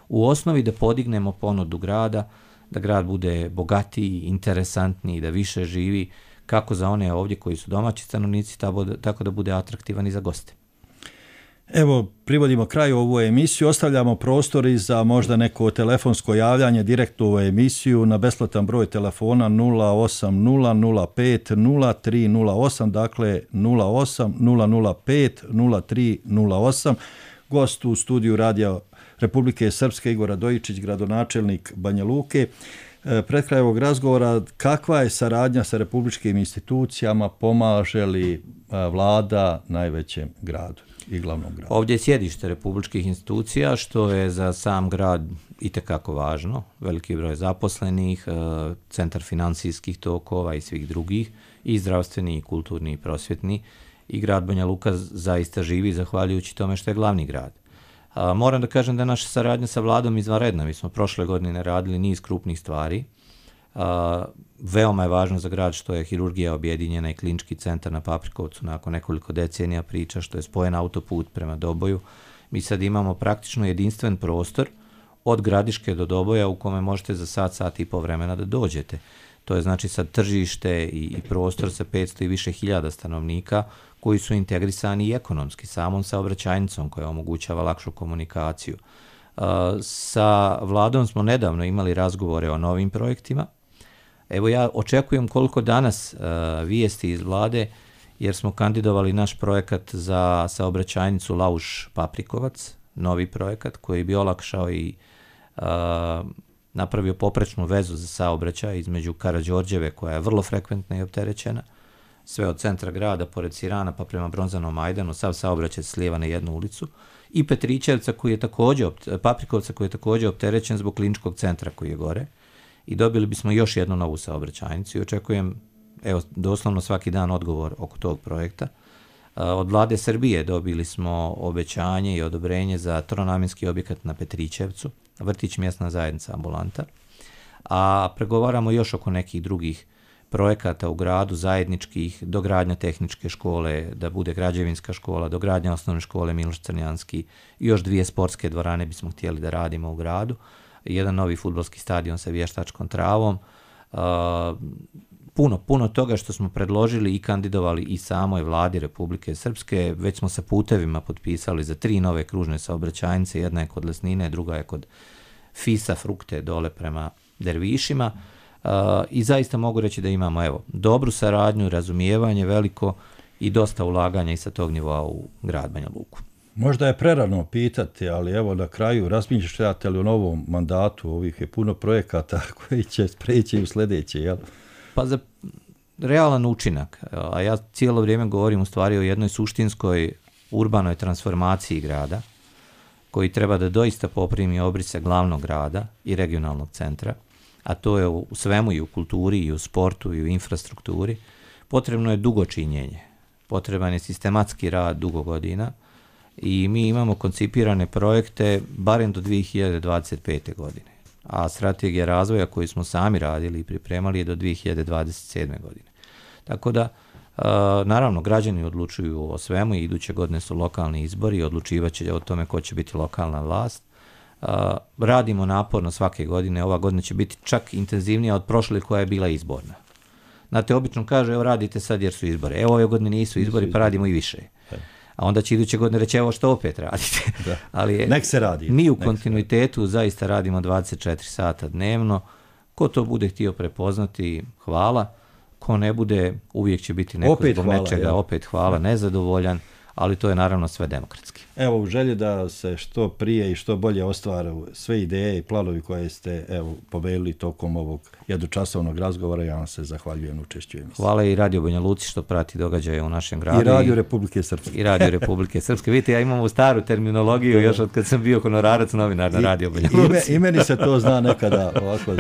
[SPEAKER 13] U osnovi da podignemo ponudu grada, da grad bude bogatiji, interesantniji, da više živi, kako za one ovdje koji su domaći stanovnici, tako da bude atraktivan i za goste.
[SPEAKER 12] Evo, privodimo kraju ovu emisiju, ostavljamo prostor i za možda neko telefonsko javljanje direktno u ovu emisiju na besplatan broj telefona 080050308, dakle 080050308. Gost u studiju Radija Republike Srpske Igor Radojičić, gradonačelnik Banja Luke. Pred kraj ovog razgovora, kakva je saradnja sa republičkim institucijama, pomaže li vlada najvećem gradu i glavnom gradu?
[SPEAKER 13] Ovdje je sjedište republičkih institucija, što je za sam grad itekako važno. Veliki broj zaposlenih, centar financijskih tokova i svih drugih, i zdravstveni, i kulturni, i prosvjetni. I grad Banja Luka zaista živi zahvaljujući tome što je glavni grad. Moram da kažem da je naša saradnja sa vladom izvanredna. Mi smo prošle godine radili niz krupnih stvari. Veoma je važno za grad što je hirurgija objedinjena i klinički centar na Paprikovcu nakon nekoliko decenija priča, što je spojen autoput prema Doboju. Mi sad imamo praktično jedinstven prostor od Gradiške do Doboja u kome možete za sat i po vremena da dođete. To je znači sad tržište i prostor sa 500 i više hiljada stanovnika koji su integrisani i ekonomski samom saobraćajnicom koja omogućava lakšu komunikaciju. Sa vladom smo nedavno imali razgovore o novim projektima. Evo ja očekujem koliko danas vijesti iz vlade, jer smo kandidovali naš projekat za saobraćajnicu Lauš-Paprikovac, novi projekat koji bi olakšao i napravio poprečnu vezu za saobraćaj između Karađorđeve, koja je vrlo frekventna i opterećena, sve od centra grada, pored Sirana, pa prema Bronzanom Majdanu, sav saobraćaj slijeva na jednu ulicu, i Petričevca koji je također, Paprikovca koji je također opterećen zbog kliničkog centra koji je gore, i dobili bismo još jednu novu saobraćajnicu i očekujem, evo, doslovno svaki dan odgovor oko tog projekta. Od vlade Srbije dobili smo obećanje i odobrenje za tronamjenski objekat na Petričevcu, vrtić, mjesna zajednica, ambulanta, a pregovaramo još oko nekih drugih projekata u gradu, zajedničkih, dogradnja tehničke škole, da bude građevinska škola, dogradnja osnovne škole Miloš Crnjanski, i još 2 sportske dvorane bismo htjeli da radimo u gradu, jedan novi fudbalski stadion sa vještačkom travom, puno toga što smo predložili i kandidovali i samoj vladi Republike Srpske. Već smo sa putevima potpisali za 3 nove kružne saobraćajnice, jedna je kod Lesnine, druga je kod Fisa, Frukte, dole prema Dervišima, i zaista mogu reći da imamo dobru saradnju, razumijevanje veliko i dosta ulaganja i sa tog nivoa u grad Banja Luku.
[SPEAKER 12] Možda je prerano pitati, ali evo na kraju razmišljate li u novom mandatu, ovih je puno projekata koji će spreći u sljedeće, jel?
[SPEAKER 13] Pa za realan učinak, a ja cijelo vrijeme govorim u stvari o jednoj suštinskoj urbanoj transformaciji grada, koji treba da doista poprimi obrise glavnog grada i regionalnog centra, a to je u svemu, i u kulturi, i u sportu, i u infrastrukturi. Potrebno je dugo činjenje, potreban je sistematski rad dugo godina, i mi imamo koncipirane projekte barem do 2025. godine. A strategija razvoja koju smo sami radili i pripremali je do 2027. godine. Tako da, naravno, građani odlučuju o svemu i iduće godine su lokalni izbori i odlučivat će o tome ko će biti lokalna vlast. Radimo naporno svake godine, ova godina će biti čak intenzivnija od prošle koja je bila izborna. Znate, obično kaže, evo radite sad jer su izbori. Evo ove godine nisu izbori, pa radimo i više. A onda će iduće godine reći, evo što opet radite. Ali
[SPEAKER 12] nek se radi.
[SPEAKER 13] Mi u kontinuitetu zaista radimo 24 sata dnevno. Ko to bude htio prepoznati, hvala. Ko ne bude, uvijek će biti neko
[SPEAKER 12] opet
[SPEAKER 13] zbog
[SPEAKER 12] hvala,
[SPEAKER 13] nečega, opet hvala, nezadovoljan, ali to je naravno sve demokratski.
[SPEAKER 12] Evo, u želji da se što prije i što bolje ostvare sve ideje i planovi koje ste povelili tokom ovog jednočasovnog razgovora, ja vam se zahvaljujem na učešću emisiji.
[SPEAKER 13] Hvala i Radio Banja Luci što prati događaje u našem gradu.
[SPEAKER 12] I Radio Republike Srpske.
[SPEAKER 13] I Radio Republike Srpske. Vidite, ja imam staru terminologiju još od kad sam bio honorarac novinar na Radio Banja Luci.
[SPEAKER 12] I meni se to zna nekada ovako.